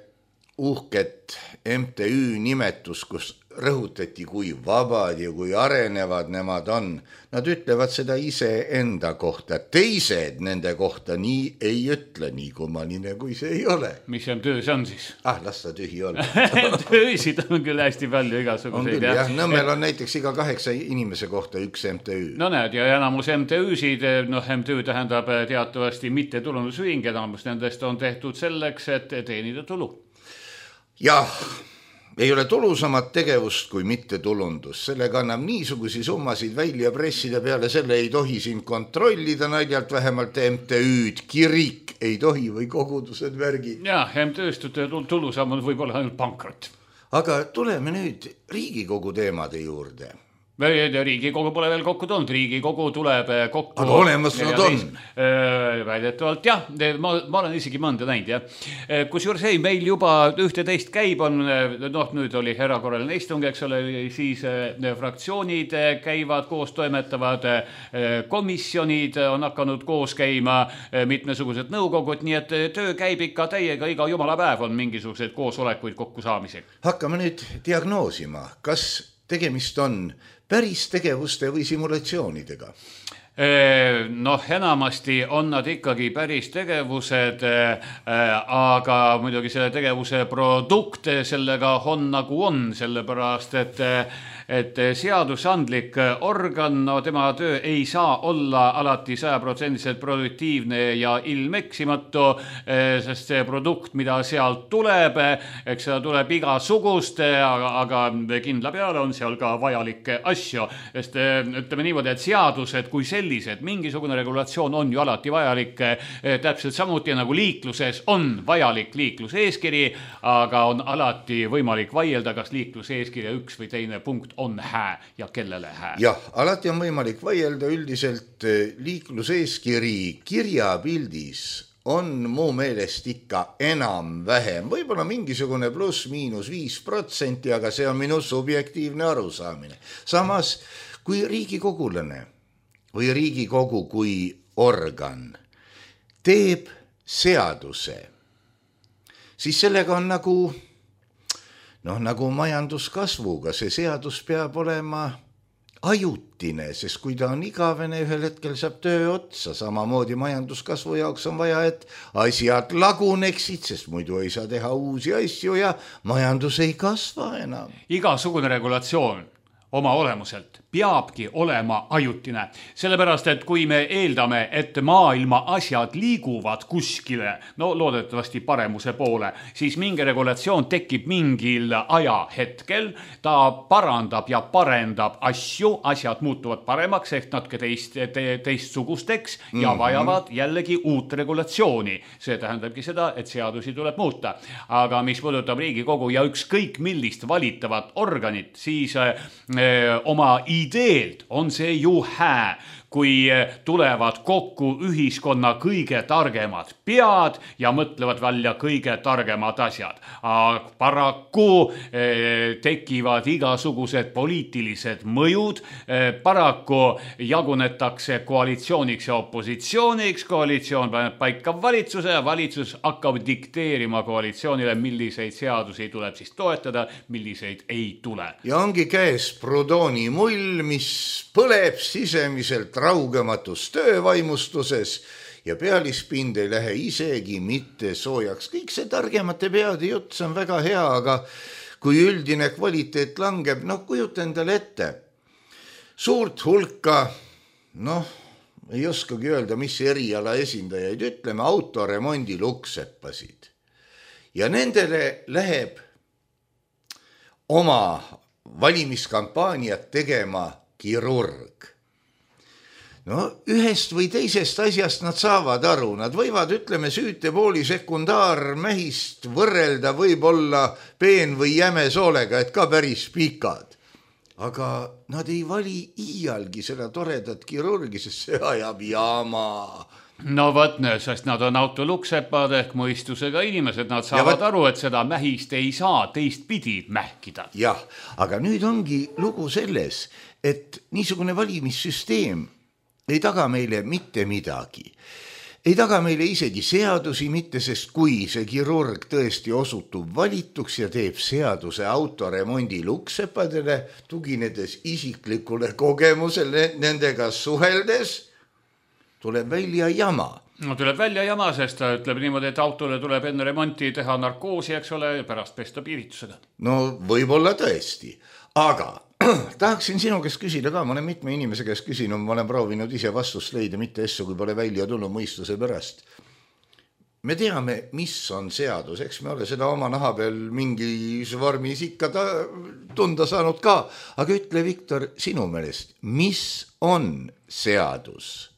uhket MTÜ nimetus, kus rõhutati, kui vabad ja kui arenevad nemad on. Nad ütlevad seda ise enda kohta. Teised nende kohta nii ei ütle, nii kummaline kui see ei ole. Mis MTÜ see on siis? Las ta tühi olla. MTÜ-sid on küll hästi palju igasuguseid. On küll, jah. Nõmmel on näiteks iga 8 inimese kohta üks MTÜ. No näed, ja enamus MTÜ-sid, MTÜ tähendab teatavasti mittetulundusühing, enamus nendest on tehtud selleks, et teenida tulu. Jah, ei ole tulusamat tegevust kui mittetulundus. Sellega annab niisugusi summasid välja pressida peale, selle ei tohi siin kontrollida naljalt, vähemalt MTÜ-d, kirik ei tohi või kogudused värgid. Jah, MTÜ-st tulusam on võib-olla ainult pankrot. Aga tuleme nüüd Riigikogu teemade juurde. Riigikogu pole veel kokku tulnud, Riigikogu tuleb kokku. Aga olemas nad on. Väidetavalt, jah, ma olen isegi mõnda näinud, jah. Kusjuures meil juba 11 käib on, nüüd oli erakorraline istung, eks ole, siis fraktsioonid käivad koos, toimetavad, komisjonid on hakanud koos käima, mitmesugused nõukogud, nii et töö käib ikka täiega, iga jumala päev on mingisuguseid koosolekuid kokku saamisega. Hakkame nüüd diagnoosima, kas tegemist on päris tegevuste või simulatsioonidega? Enamasti on nad ikkagi päris tegevused, aga muidugi selle tegevuse produkt sellega on nagu on, sellepärast, et seadusandlik organ, tema töö ei saa olla alati 100% produktiivne ja ilmeksimatu, sest see produkt, mida sealt tuleb, eks seda tuleb igasugust, aga kindla peale on seal ka vajalikke asju, sest ütleme niimoodi, et seadused kui sellised, mingisugune regulatsioon on ju alati vajalik, täpselt samuti nagu liikluses on vajalik liikluseeskiri, aga on alati võimalik vaielda, kas liikluseeskirja üks või teine punkt on hää ja kellele hää. Jah, alati on võimalik vaielda, üldiselt liikluseeskiri kirjapildis on mu meelest ikka enam-vähem, võib-olla mingisugune pluss-miinus 5%, aga see on minu subjektiivne arusaamine. Samas, kui riigikogulane või Riigikogu kui organ teeb seaduse, siis sellega on nagu majanduskasvuga, see seadus peab olema ajutine, sest kui ta on igavene, ühel hetkel saab töö otsa, samamoodi majanduskasvu jaoks on vaja, et asjad laguneksid, sest muidu ei saa teha uusi asju ja majandus ei kasva enam. Igasugune regulatsioon oma olemuselt peabki olema ajutine, sellepärast, et kui me eeldame, et maailma asjad liiguvad kuskile, loodetavasti paremuse poole, siis mingi regulatsioon tekib mingil ajahetkel, ta parandab ja parendab asju, asjad muutuvad paremaks, ehk natuke teistsugusteks ja vajavad jällegi uut regulatsiooni. See tähendabki seda, et seadusi tuleb muuta. Aga mis puudutab Riigikogu ja ükskõik millist valitavat organit, siis oma ideelt on see ju hää, kui tulevad kokku ühiskonna kõige targemad pead ja mõtlevad välja kõige targemad asjad. Paraku tekivad igasugused poliitilised mõjud, paraku jagunetakse koalitsiooniks ja opositsiooniks, koalitsioon paneb paika valitsuse ja valitsus hakkab dikteerima koalitsioonile, milliseid seadusi tuleb siis toetada, milliseid ei tule. Ja ongi käes Proudhoni mull, mis põleb sisemiselt raugematus töövaimustuses ja pealispind ei lähe isegi mitte soojaks. Kõik see targemate peade jutt, see on väga hea, aga kui üldine kvaliteet langeb, kujuta endale ette. Suurt hulka, ei oskagi öelda, mis eriala esindajaid, ütleme autoremondi lukseppasid. Ja nendele läheb oma valimiskampaaniat tegema kirurg. Ühest või teisest asjast nad saavad aru, nad võivad, ütleme, süütepooli sekundaarmähist võrrelda võib-olla peen või jäme soolega, et ka päris pikad. Aga nad ei vali iialgi seda toredat kirurgi, sest see ajab jama. No võt, sest nad on autoluksepad ehk mõistusega inimesed, nad saavad aru, et seda mähist ei saa teistpidi mähkida. Jah, aga nüüd ongi lugu selles, et niisugune valimissüsteem ei taga meile mitte midagi. Ei taga meile isegi seadusi mitte, sest kui see kirurg tõesti osutub valituks ja teeb seaduse autoremondi luksepadele, tuginedes isiklikule kogemusele nendega suheldes, tuleb välja jama. No tuleb välja jama, sest ta ütleb niimoodi, et autole tuleb enne remonti teha narkoosi, eks ole, ja pärast pesta piiritusega. No võib-olla tõesti, aga tahaksin sinu käest küsida ka, ma olen mitme inimese käest küsinud, ma olen proovinud ise vastust leida, mitte asju, kui pole välja tulnud mõistuse pärast. Me teame, mis on seadus, eks me ole seda oma naha peal mingis vormis ikka tunda saanud ka, aga ütle, Viktor, sinu meelest, mis on seadus?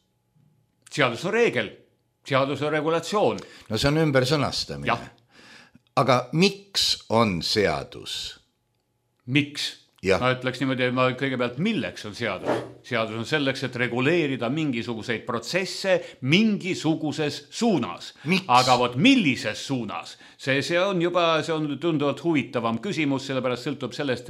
Seadus on reegel, seadus on regulatsioon. No see on ümber sõnastamine. Aga miks on seadus? Miks? Ma ütleks niimoodi, ma kõigepealt, milleks on seadus? Seadus on selleks, et reguleerida mingisuguseid protsesse mingisuguses suunas. Miks? Aga vot millises suunas? See on juba, see on tunduvalt huvitavam küsimus, sellepärast sõltub sellest,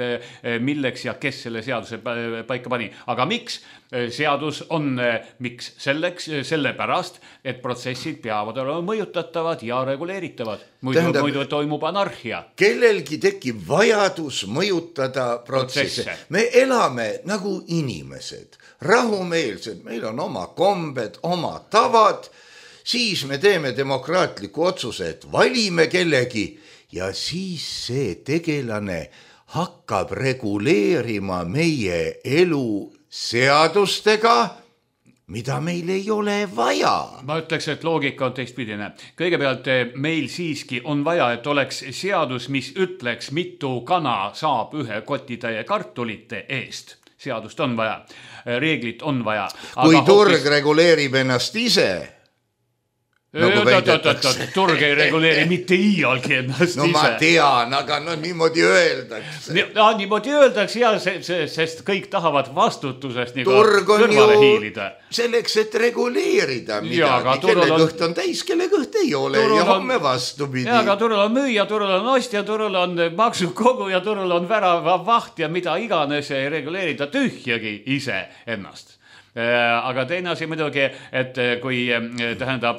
milleks ja kes selle seaduse paika pani. Aga miks? Seadus on miks selleks, sellepärast, et protsessid peavad olema mõjutatavad ja reguleeritavad. Muidu toimub anarhia. Kellelgi tekib vajadus mõjutada protsesse. Me elame nagu inimesed, rahumeelsed, meil on oma kombed, oma tavad, siis me teeme demokraatliku otsuse, et valime kellegi ja siis see tegelane hakkab reguleerima meie elu seadustega, mida meil ei ole vaja. Ma ütleks, et loogika on teistpidine. Kõigepealt meil siiski on vaja, et oleks seadus, mis ütleks, mitu kana saab ühe kotitäie kartulite eest. Seadust on vaja, reeglit on vaja. Kui turg reguleerib ennast ise, turg ei reguleeri mitte iialgi ennast ise. No ma tean, aga niimoodi öeldakse. Niimoodi öeldakse, sest kõik tahavad vastutusest kõrvale hiilida. Selleks, et reguleerida midagi, kelle kõht on täis, kelle kõht ei ole ja homme vastupidi. Aga turul on müüja, turul on ostja, turul on maksukogu ja turul on värava vaht ja mida iganes ei reguleerida tühjagi ise ennast. Aga teine asi muidugi, et kui tähendab,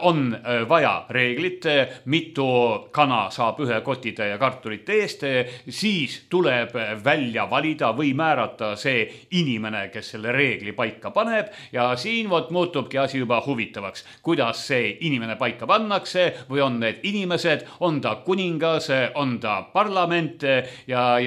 on vaja reeglit, mitu kana saab ühe kotitäie kartulite eest, siis tuleb välja valida või määrata see inimene, kes selle reegli paika paneb ja siin muutubki asi juba huvitavaks. Kuidas see inimene paika pannakse või on need inimesed, on ta kuningas, on ta parlament ja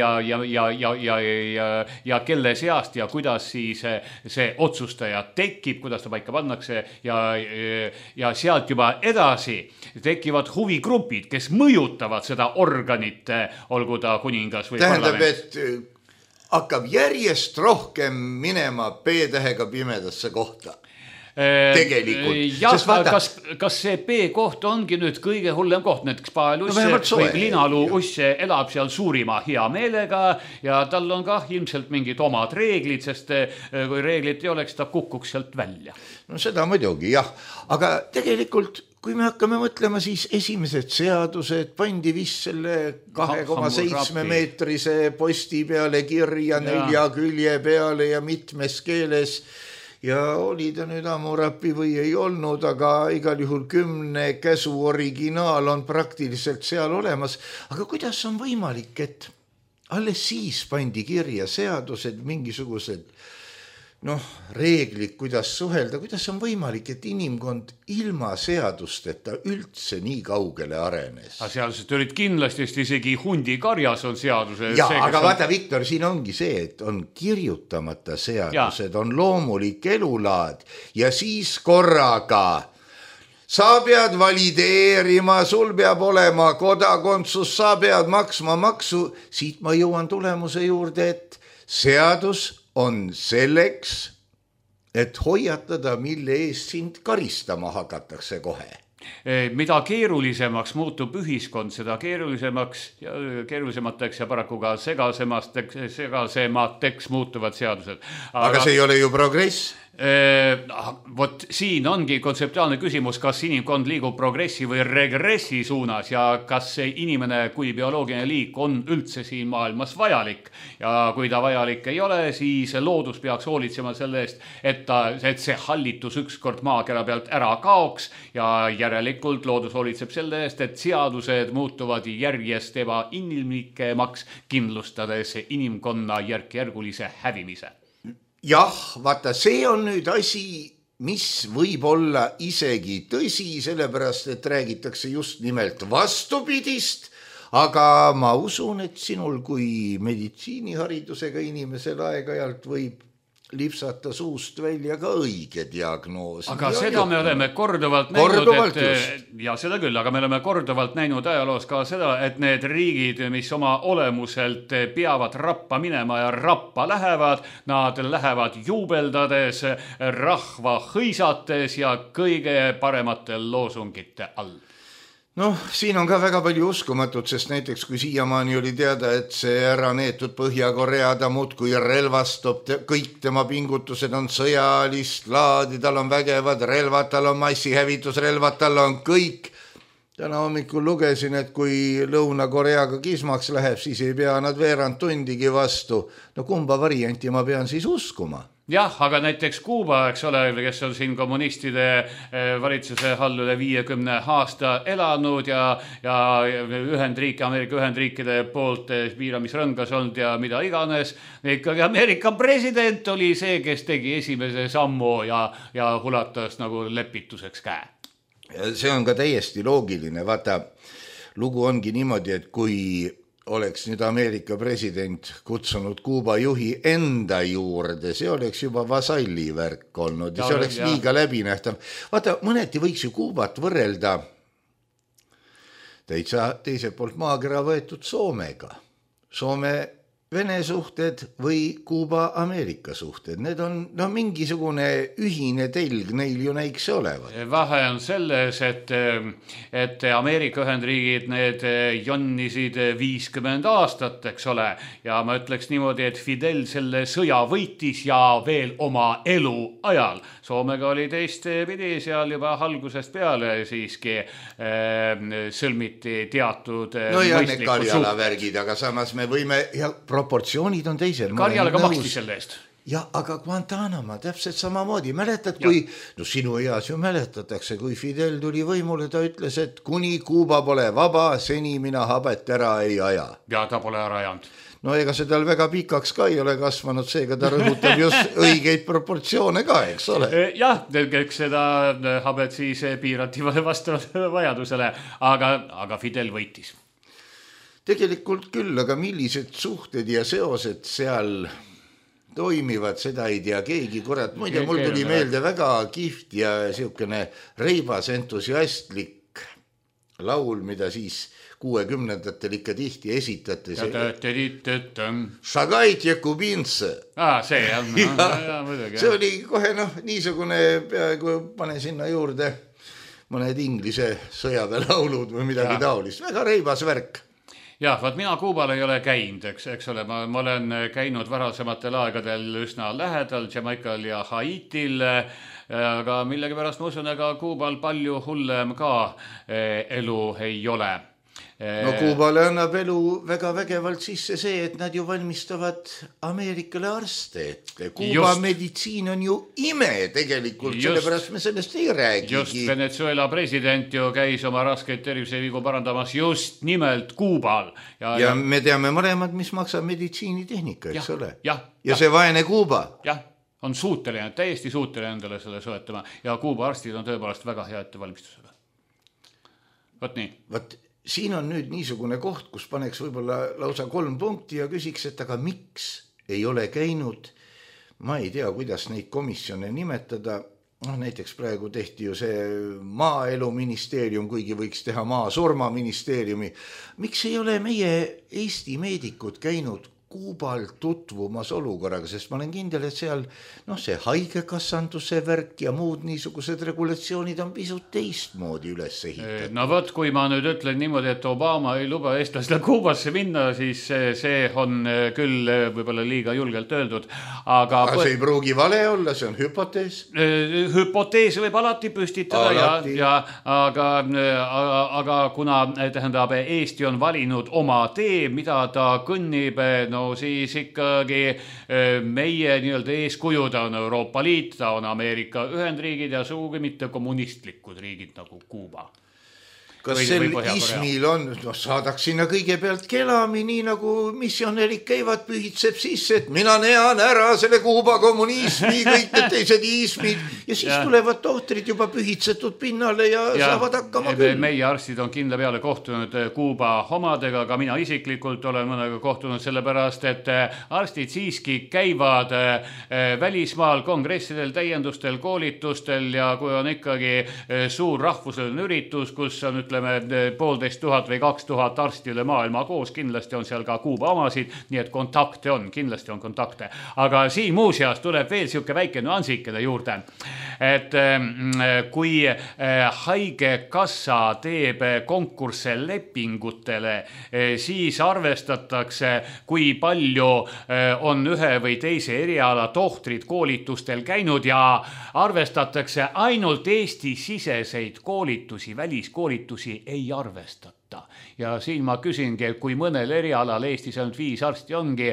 kelle seast ja kuidas siis see otsustaja tekib, kuidas ta paika pannakse ja sealt juba edasi tekivad huvigrupid, kes mõjutavad seda organit, olgu ta kuningas või parlament. Tähendab, et hakkab järjest rohkem minema P-tähega pimedasse kohta. Jah, kas see B-koht ongi nüüd kõige hullem koht, näiteks Paeluss või Linaluu Uss elab seal suurima hea meelega ja tal on ka ilmselt mingid omad reeglid, sest kui reeglid ei oleks, ta kukuks sealt välja. No seda muidugi, jah, aga tegelikult kui me hakkame mõtlema, siis esimesed seadused pandi vist selle 2,7 meetrise posti peale kirja 4 külje peale ja mitmes keeles ja oli ta nüüd Hammurapi või ei olnud, aga igal juhul 10 käsu originaal on praktiliselt seal olemas. Aga kuidas on võimalik, et alles siis pandi kirja seadused, mingisugused reeglid, kuidas suhelda, kuidas on võimalik, et inimkond ilma seadusteta üldse nii kaugele arenes? Seadused olid kindlasti, sest isegi hundi karjas on seaduse. Ja, aga vaata, Viktor, siin ongi see, et on kirjutamata seadused, on loomulik elulaad ja siis korraga sa pead valideerima, sul peab olema kodakondsus, sa pead maksma maksu. Siit ma jõuan tulemuse juurde, et seadus on selleks, et hoiatada, mille eest sind karistama hakatakse kohe. Mida keerulisemaks muutub ühiskond, seda keerulisemateks ja paraku ka segasemateks muutuvad seadused. Aga see ei ole ju progress. Vot siin ongi kontseptuaalne küsimus, kas inimkond liigub progressi või regressi suunas ja kas see inimene kui bioloogiline liik on üldse siin maailmas vajalik. Ja kui ta vajalik ei ole, siis loodus peaks hoolitsema selle eest, et see hallitus ükskord maakera pealt ära kaoks ja järelikult loodus hoolitseb selle eest, et seadused muutuvad järjest ebainimlikemaks, kindlustades inimkonna järk-järgulise hävimise. Jah, vaata, see on nüüd asi, mis võib olla isegi tõsi, sellepärast, et räägitakse just nimelt vastupidist, aga ma usun, et sinul kui meditsiiniharidusega inimesel aeg-ajalt võib lipsata suust välja ka õige diagnoos. Aga seda me oleme korduvalt näinud, ja seda küll, aga me oleme korduvalt näinud ajaloos ka seda, et need riigid, mis oma olemuselt peavad rappa minema ja rappa lähevad, nad lähevad juubeldades, rahva hõisates ja kõige parematel loosungite all. Noh, siin on ka väga palju uskumatut, sest näiteks kui siiamaani oli teada, et see ära neetud Põhja-Korea ta muudkui relvastub, kõik tema pingutused on sõjalist laadi, tal on vägevad relvad, tal on massihävitusrelvad, tal on kõik. Täna hommikul lugesin, et kui Lõuna-Koreaga kismaks läheb, siis ei pea nad veerand tundigi vastu. No kumba varianti ma pean siis uskuma? Jah, aga näiteks Kuuba, eks ole, kes on siin kommunistide valitsuse all üle 50 aasta elanud ja Ameerika Ühendriikide poolt piiramisrõngas olnud ja mida iganes. Ikkagi Ameerika president oli see, kes tegi esimese sammu ja hulatas nagu lepituseks käe. See on ka täiesti loogiline. Vaata, lugu ongi niimoodi, et kui oleks nüüd Ameerika president kutsunud Kuuba juhi enda juurde, see oleks juba vasalli värk olnud ja see oleks liiga läbinähtav. Vaata, mõneti võiks ju Kuubat võrrelda täitsa teiselt poolt maakera võetud Soomega. Soome-Vene suhted või Kuuba-Ameerika suhted. Need on mingisugune ühine telg neil ju näiks olevat. Vahe on selles, et Ameerika Ühendriigid need jonnisid 50 aastat, eks ole, ja ma ütleks niimoodi, et Fidel selle sõja võitis ja veel oma elu ajal. Soomega oli teistpidi seal juba algusest peale siiski sõlmiti teatud need Karjala värgid, aga samas me võime, ja proportsioonid on teisel. Karjalaga maksti selle eest. Ja, aga Guantanamo täpselt samamoodi. Mäletad, kui, sinu eas ju mäletatakse, kui Fidel tuli võimule, ta ütles, et kuni Kuuba pole vaba, seni mina habet ära ei aja. Ja ta pole ära ajanud. No ega see tal väga pikaks ka ei ole kasvanud, seega ta rõhutab just õigeid proportsioone ka, eks ole. Jah, eks seda habet siis piirati vastavalt vajadusele, aga Fidel võitis. Tegelikult küll, aga millised suhted ja seosed seal toimivad, seda ei tea keegi, kurat. Muide, mul tuli meelde väga kihvt ja siukene reibas entusiastlik laul, mida siis 60-ndatel ikka tihti esitate. Šagait ja kubinse. See on. See oli kohe niisugune, peaaegu pane sinna juurde mõned inglise sõjaväelaulud või midagi taolist. Väga reibas värk. Jah, vaat mina Kuubal ei ole käinud, eks ole, ma olen käinud varasematel aegadel üsna lähedal Jamaikal ja Haitil, aga millegi pärast ma usun, ega Kuubal palju hullem ka elu ei ole. No Kuubale annab elu väga vägevalt sisse see, et nad ju valmistavad Ameerikale arste. Kuuba meditsiin on ju ime tegelikult, sellepärast me sellest ei räägigi. Just Venezuela president ju käis oma raskeid tervisevigu parandamas just nimelt Kuubal. Ja me teame mõlemad, mis maksab meditsiinitehnika, eks ole. Ja see vaene Kuuba. Jah, on suuteline, täiesti suuteline endale selle soetama ja Kuuba arstid on tõepoolest väga hea ettevalmistusega. Vot nii. Vot siin on nüüd niisugune koht, kus paneks võib-olla lausa 3 punkti ja küsiks, et aga miks ei ole käinud, ma ei tea, kuidas neid komisjone nimetada, näiteks praegu tehti ju see maaeluministeerium, kuigi võiks teha maasurmaministeeriumi. Miks ei ole meie Eesti meedikud käinud Kuubal tutvumas olukorraga, sest ma olen kindel, et seal see haigekassanduse värk ja muud niisugused regulatsioonid on pisut teistmoodi üles ehitatud. No võt, kui ma nüüd ütlen niimoodi, et Obama ei luba eestlasele Kuubasse minna, siis see on küll võib-olla liiga julgelt öeldud. Aga see ei pruugi vale olla, see on hüpotees. Hüpotees võib alati püstitada, aga kuna tähendab, Eesti on valinud oma tee, mida ta kõnnib, siis ikkagi meie nii-öelda eeskujud on Euroopa Liit, ta on Ameerika Ühendriigid ja suugi mitte kommunistlikud riigid nagu Kuuba. Kas sel ismil on, saadaks sinna kõigepealt kelami, nii nagu missionärid käivad, pühitseb sisse, et mina nean ära selle Kuuba kommunismi, kõik need teised ismid ja siis tulevad tohtrid juba pühitsetud pinnale ja saavad hakkama küll. Meie arstid on kindla peale kohtunud Kuuba omadega, aga mina isiklikult olen mõnega kohtunud sellepärast, et arstid siiski käivad välismaal kongressidel, täiendustel, koolitustel ja kui on ikkagi suur rahvusvaheline üritus, kus on 1500 või 2000 arsti üle maailma koos, kindlasti on seal ka Kuuba omasid, nii et kontakte on, kindlasti on kontakte. Aga siin muuseas tuleb veel siuke väike nüansikene juurde, et kui haigekassa teeb konkursse lepingutele, siis arvestatakse, kui palju on ühe või teise eriala tohtrid koolitustel käinud ja arvestatakse ainult Eesti-siseseid koolitusi, väliskoolitusi ei arvestata. Ja siin ma küsingi, et kui mõnel erialal Eestis ainult 5 arsti ongi,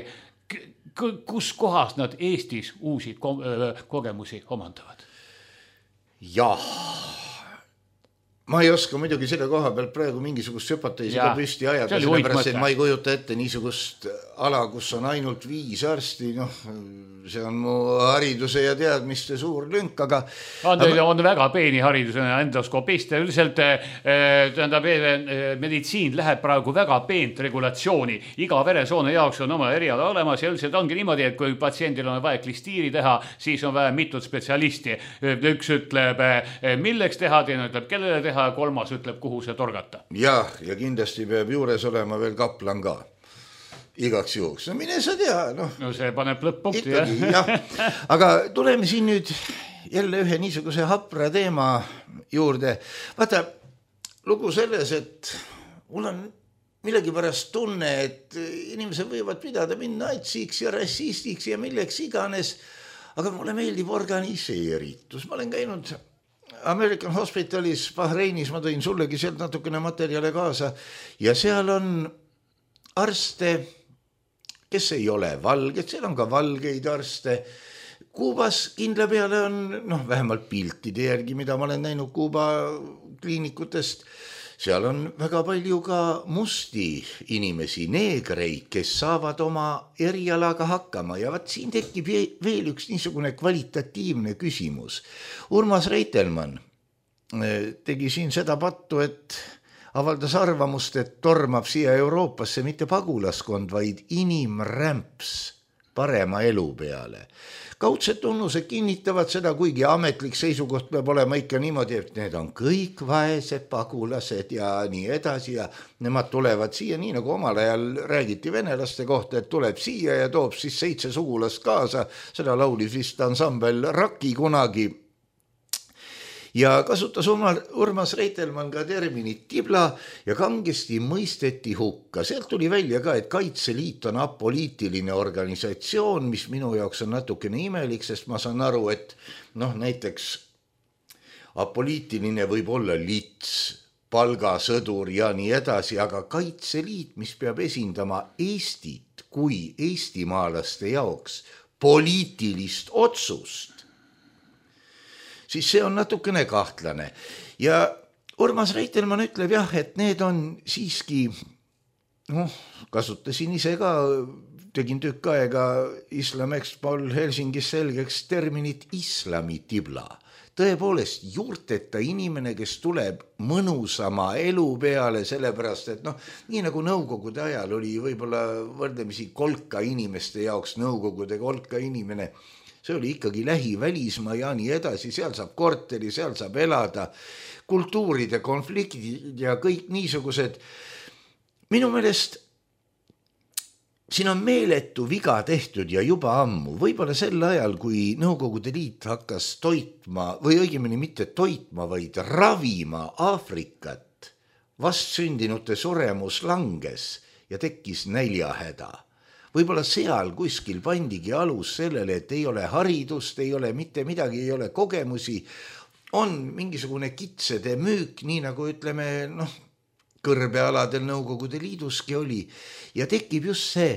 kus kohas nad Eestis uusi kogemusi omandavad? Jah. Ma ei oska muidugi selle koha peal praegu mingisugust hüpoteesi ka püsti ajada, sellepärast, et ma ei kujuta ette niisugust ala, kus on ainult 5 arsti, see on mu hariduse ja teadmiste suur lünk, aga on väga peeni hariduse endoskopist ja üldiselt meditsiin läheb praegu väga peent regulatsiooni. Iga veresoone jaoks on oma eriala olemas ja üldiselt ongi niimoodi, et kui patsiendil on vaja klistiiri teha, siis on vaja mitut spetsialisti. Üks ütleb, milleks teha, teine ütleb, kellele teha, ja kolmas ütleb, kuhu see torgata. Ja kindlasti peab juures olema veel kaplan ka. Igaks juhuks. Mine sa tea. No see paneb lõpp-punkti. Aga tuleme siin nüüd jälle ühe niisuguse hapra teema juurde. Vaata, lugu selles, et mul on millegipärast tunne, et inimesed võivad pidada minna natsiks ja rassistiks ja milleks iganes, aga mulle meeldib organiseeritus. Ma olen käinud American Hospitalis Bahreinis, ma tõin sullegi sealt natukene materjale kaasa ja seal on arste, kes ei ole valged, seal on ka valgeid arste. Kuubas kindla peale on, vähemalt piltide järgi, mida ma olen näinud Kuuba kliinikutest, seal on väga palju ka musti inimesi, neegreid, kes saavad oma erialaga hakkama ja siin tekib veel üks niisugune kvalitatiivne küsimus. Urmas Reitelmann tegi siin seda pattu, et avaldas arvamust, et tormab siia Euroopasse mitte pagulaskond, vaid inimrämps parema elu peale. Kaudsed tunnused kinnitavad seda, kuigi ametlik seisukoht peab olema ikka niimoodi, et need on kõik vaesed pagulased ja nii edasi ja nemad tulevad siia, nii nagu omal ajal räägiti venelaste kohta, et tuleb siia ja toob siis 7 sugulast kaasa, seda laulis vist ansambel Raki kunagi. Ja kasutas Urmas Reitelmann ka terminit tibla ja kangesti mõisteti hukka. Sealt tuli välja ka, et Kaitseliit on apoliitiline organisatsioon, mis minu jaoks on natukene imelik, sest ma saan aru, et näiteks apoliitiline võib olla lits, palgasõdur ja nii edasi, aga Kaitseliit, mis peab esindama Eestit kui eestimaalaste jaoks poliitilist otsust, siis see on natukene kahtlane. Ja Urmas Reitelmann ütleb jah, et need on siiski, kasutasin ise ka, tegin tükk aega Islam Expol Helsingis selgeks terminit islamitibla. Tõepoolest juurteta inimene, kes tuleb mõnusama elu peale, sellepärast, et nii nagu nõukogude ajal oli võib-olla võrdlemisi kolka inimeste jaoks nõukogude kolka inimene, see oli ikkagi lähivälismaa ja nii edasi, seal saab korteri, seal saab elada, kultuuride konfliktid ja kõik niisugused. Minu meelest siin on meeletu viga tehtud ja juba ammu, võib-olla sel ajal, kui Nõukogude Liit hakkas toitma või õigemini mitte toitma, vaid ravima Aafrikat, vastsündinute suremus langes ja tekkis näljahäda. Võib-olla seal kuskil pandigi alus sellele, et ei ole haridust, ei ole mitte midagi, ei ole kogemusi, on mingisugune kitsede müük, nii nagu ütleme, kõrbealadel Nõukogude Liiduski oli ja tekib just see,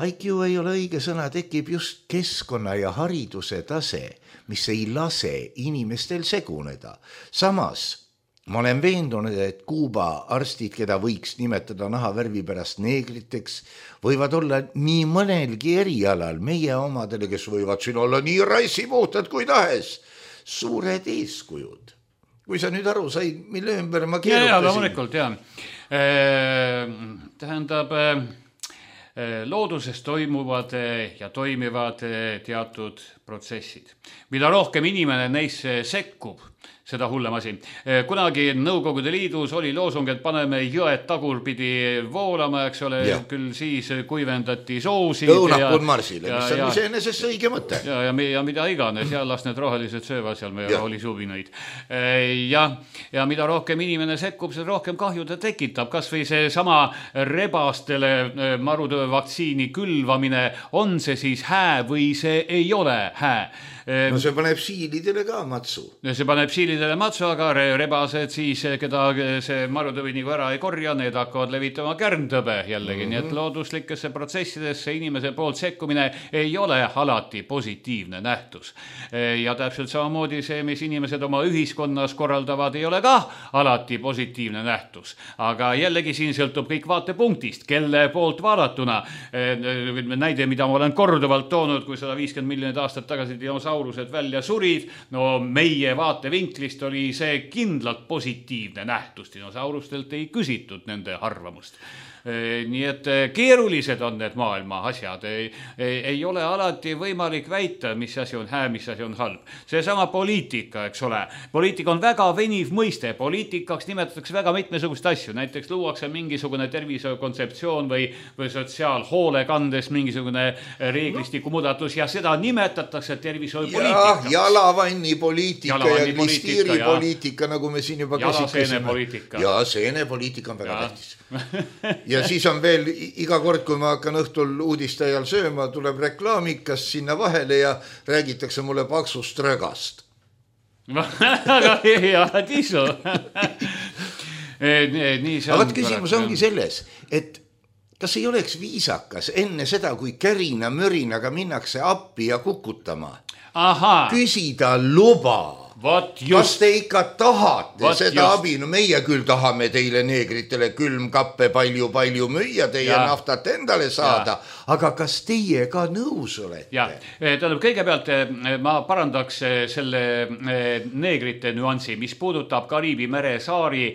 IQ ei ole õige sõna, tekib just keskkonna ja hariduse tase, mis ei lase inimestel seguneda. Samas ma olen veendunud, et Kuuba arstid, keda võiks nimetada nahavärvi pärast neegriteks, võivad olla nii mõnelgi erialal meie omadele, kes võivad siin olla nii rassipuhtad kui tahes, suured eeskujud. Kui sa nüüd aru said, mille ümber ma keerutasin? Ja, loomulikult, jah. Tähendab, looduses toimuvad ja toimivad teatud protsessid. Mida rohkem inimene neisse sekkub, seda hullem asi. Kunagi Nõukogude Liidus oli loosung, et paneme jõed tagurpidi voolama, eks ole, küll siis kuivendati soosid. Õunapud marsile, mis on iseenesest õige mõte. Ja mida iganes, ja las need rohelised söövad seal meie rohelisuvinaid. Ja mida rohkem inimene sekkub, seda rohkem kahju ta tekitab. Kas või see sama rebastele marutöö vaktsiini külvamine, on see siis hää või see ei ole hää? No see paneb siilidele ka matsu. See paneb siilidele matsu, aga rebased siis, keda see marutõvi nagu ära ei korja, need hakkavad levitama kärntõbe jällegi. Nii et looduslikesse protsessidesse inimese poolt sekkumine ei ole alati positiivne nähtus. Ja täpselt samamoodi see, mis inimesed oma ühiskonnas korraldavad, ei ole ka alati positiivne nähtus. Aga jällegi siin sõltub kõik vaatepunktist, kelle poolt vaadatuna. Näide, mida ma olen korduvalt toonud, kui 150 miljonit aastat tagasi dinosaurused välja surid, no meie vaatevinklist oli see kindlalt positiivne nähtus. Dinosaurustelt ei küsitud nende arvamust. Nii et keerulised on need maailma asjad. Ei ole alati võimalik väita, mis asi on hää, mis asi on halb. See sama poliitika, eks ole. Poliitika on väga veniv mõiste. Poliitikaks nimetatakse väga mitmesugust asju. Näiteks luuakse mingisugune tervisekontseptsioon või sotsiaalhoolekandes mingisugune reeglistiku muudatus ja seda nimetatakse tervishoiupoliitikaks. Jalavannipoliitika ja glistiiripoliitika, nagu me siin juba käsitlesime. Ja seenepoliitika on väga tähtis. Ja siis on veel iga kord, kui ma hakkan õhtul uudiste ajal sööma, tuleb reklaamikas sinna vahele ja räägitakse mulle paksust rögast. Aga hea tisu. Aga küsimus ongi selles, et kas ei oleks viisakas enne seda, kui kärina mörinaga minnakse appi ja kukutama, küsida luba. Kas te ikka tahate seda abi? No meie küll tahame teile neegritele külmkappe palju müüa, teie naftat endale saada, aga kas teie ka nõus olete? Tähendab, kõigepealt ma parandaks selle neegrite nüansi, mis puudutab Kariibi mere saari,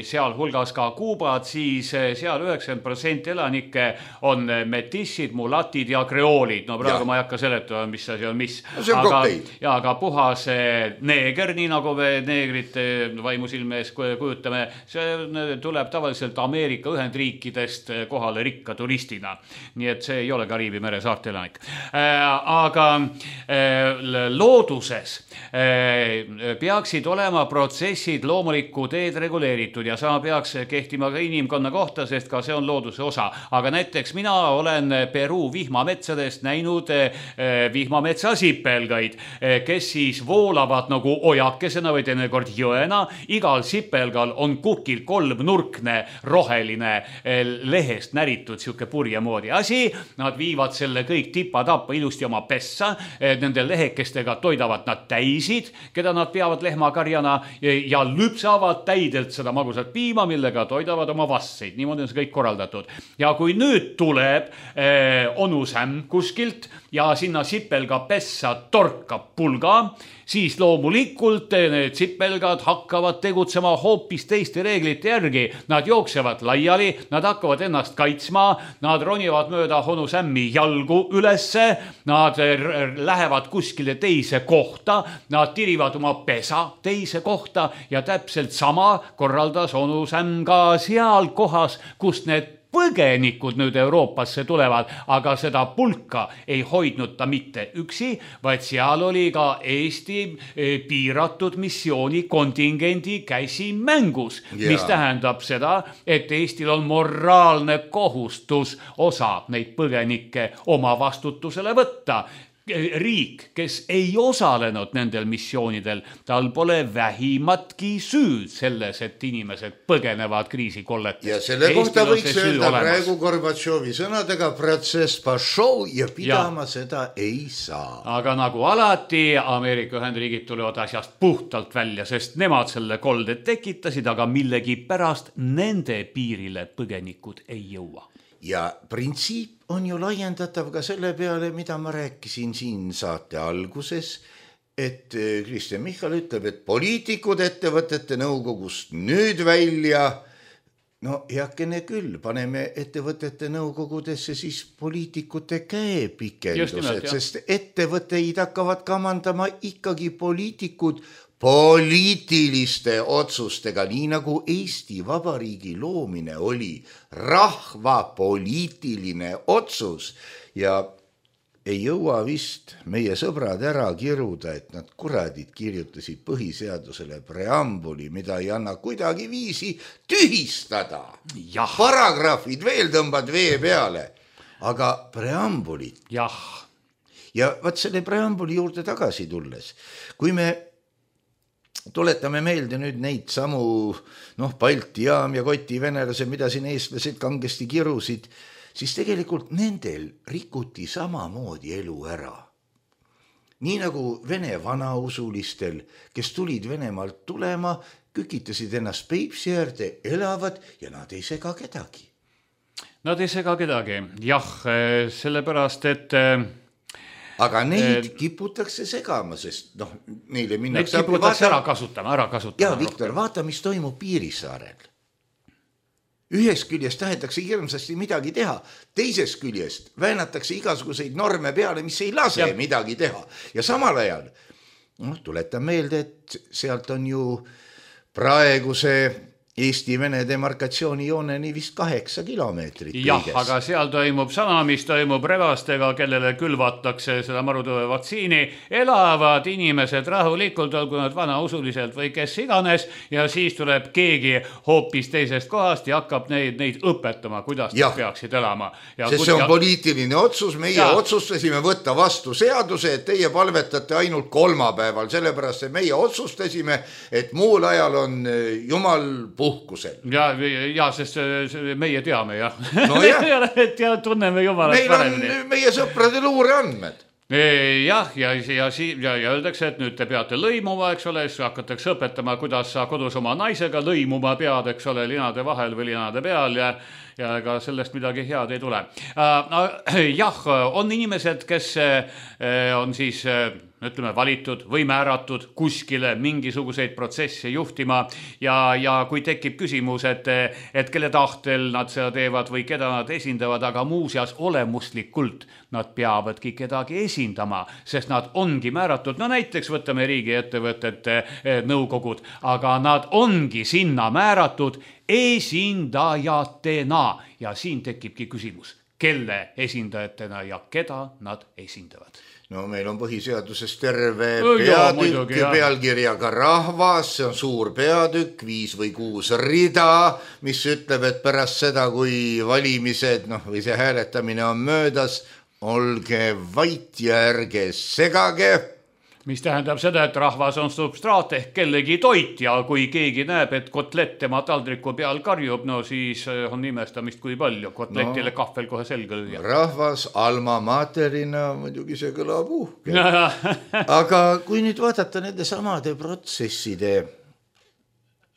seal hulgas ka Kuubat, siis seal 90% elanikke on metissid, mulatid ja kreoolid. No praegu ma ei hakka seletama, mis asi on mis. Aga puhas neeger, nii nagu me neegrite vaimusilme ees kujutame, see tuleb tavaliselt Ameerika Ühendriikidest kohale rikka turistina. Nii et see ei ole Kariibi mere saarte elanik. Aga looduses peaksid olema protsessid loomulikku teed reguleeritud ja sama peaks kehtima ka inimkonna kohta, sest ka see on looduse osa. Aga näiteks mina olen Peruu vihmametsadest näinud vihmametsa sipelgaid, kes siis voolavad nagu ojakesena või teinekord jõena. Igal sipelgal on kukil kolmnurkne roheline lehest näritud siuke purje moodi asi. Nad viivad selle kõik tipa-tappa ilusti oma pessa. Nende lehekestega toidavad nad täisid, keda nad peavad lehmakarjana ja lüpsavad täidelt seda magusat piima, millega toidavad oma vastseid. Niimoodi on see kõik korraldatud. Ja kui nüüd tuleb onusämm kuskilt ja sinna sipelga pessa torkab pulga, siis loomulikult need sipelgad hakkavad tegutsema hoopis teiste reeglite järgi. Nad jooksevad laiali, nad hakkavad ennast kaitsma, nad ronivad mööda onusämmi jalgu ülesse, nad lähevad kuskile teise kohta, nad tirivad oma pesa teise kohta ja täpselt sama korraldas onusämm ka seal kohas, kus need põgenikud nüüd Euroopasse tulevad, aga seda pulka ei hoidnud ta mitte üksi, vaid seal oli ka Eesti piiratud missiooni kontingendi käsi mängus, mis tähendab seda, et Eestil on moraalne kohustus osa neid põgenikke oma vastutusele võtta. Riik, kes ei osalenud nendel missioonidel, tal pole vähimatki süüd selles, et inimesed põgenevad kriisikolletest. Ja selle kohta võiks öelda praegu Gorbatšovi sõnadega protsess pašov ja pidama seda ei saa. Aga nagu alati, Ameerika Ühendriigid tulevad asjast puhtalt välja, sest nemad selle kolde tekitasid, aga millegi pärast nende piirile põgenikud ei jõua. Ja printsiip on ju laiendatav ka selle peale, mida ma rääkisin siin saate alguses, et Kristjan Michal ütleb, et poliitikud ettevõtete nõukogust nüüd välja, no heakene küll, paneme ettevõtete nõukogudesse siis poliitikute käepikendused, sest ettevõtteid hakkavad kamandama ikkagi poliitikud poliitiliste otsustega, nii nagu Eesti Vabariigi loomine oli rahva poliitiline otsus ja ei jõua vist meie sõbrad ära kiruda, et nad kuradid kirjutasid põhiseadusele preambuli, mida ei anna kuidagi viisi tühistada. Paragrahvid veel tõmbad vee peale, aga preambulit. Ja vaat selle preambuli juurde tagasi tulles, kui me tuletame meelde nüüd neid samu Balti jaam ja Koti venelase, mida siin eestlased kangesti kirusid, siis tegelikult nendel rikuti samamoodi elu ära. Nii nagu Vene vanausulistel, kes tulid Venemaalt tulema, kükitasid ennast Peipsi äärde, elavad ja nad ei sega kedagi. Nad ei sega kedagi, jah, sellepärast, et aga neid kiputakse segama, sest neile minnakse... Neid kiputakse ära kasutama. Ja, Viktor, vaata, mis toimub Piirisaarel. Ühest küljest tahetakse hirmsasti midagi teha, teisest küljest väänatakse igasuguseid norme peale, mis ei lase midagi teha. Ja samal ajal, tuletan meelde, et sealt on ju praeguse Eesti-Vene demarkatsiooni jooneni vist 8 kilomeetrit. Jah, aga seal toimub sama, mis toimub rebastega, kellele külvatakse seda marutõve vaktsiini. Elavad inimesed rahulikult, olgu nad vanausuliselt või kes iganes, ja siis tuleb keegi hoopis teisest kohast ja hakkab neid õpetama, kuidas nad peaksid elama. Sest see on poliitiline otsus, meie otsustasime võtta vastu seaduse, et teie palvetate ainult kolmapäeval, sellepärast, et meie otsustasime, et muul ajal on jumal puhkusel. Ja sest meie teame, jah. No jah. Ja tunneme jumalat paremini. Meil on meie sõprade luure andmed. Jah, ja öeldakse, et nüüd te peate lõimuma, eks ole, siis hakatakse õpetama, kuidas sa kodus oma naisega lõimuma pead, eks ole, linade vahel või linade peal ja ega sellest midagi head ei tule. Jah, on inimesed, kes on siis ütleme, valitud või määratud kuskile mingisuguseid protsesse juhtima ja kui tekib küsimus, et kelle tahtel nad seda teevad või keda nad esindavad, aga muuseas olemuslikult nad peavadki kedagi esindama, sest nad ongi määratud, no näiteks võtame riigiettevõtete nõukogud, aga nad ongi sinna määratud esindajatena ja siin tekibki küsimus, kelle esindajatena ja keda nad esindavad. No meil on põhiseaduses terve peatükk pealkirjaga rahvas, see on suur peatükk, 5 või 6 rida, mis ütleb, et pärast seda, kui valimised või see hääletamine on möödas, olge vait ja ärge segage. Mis tähendab seda, et rahvas on substraat ehk kellegi toit ja kui keegi näeb, et kotlett tema taldriku peal karjub, no siis on imestamist kui palju. Kotletile kahvel kohe selga lüüa. Rahvas alma materina, muidugi see kõlab uhke. Aga kui nüüd vaadata nende samade protsesside...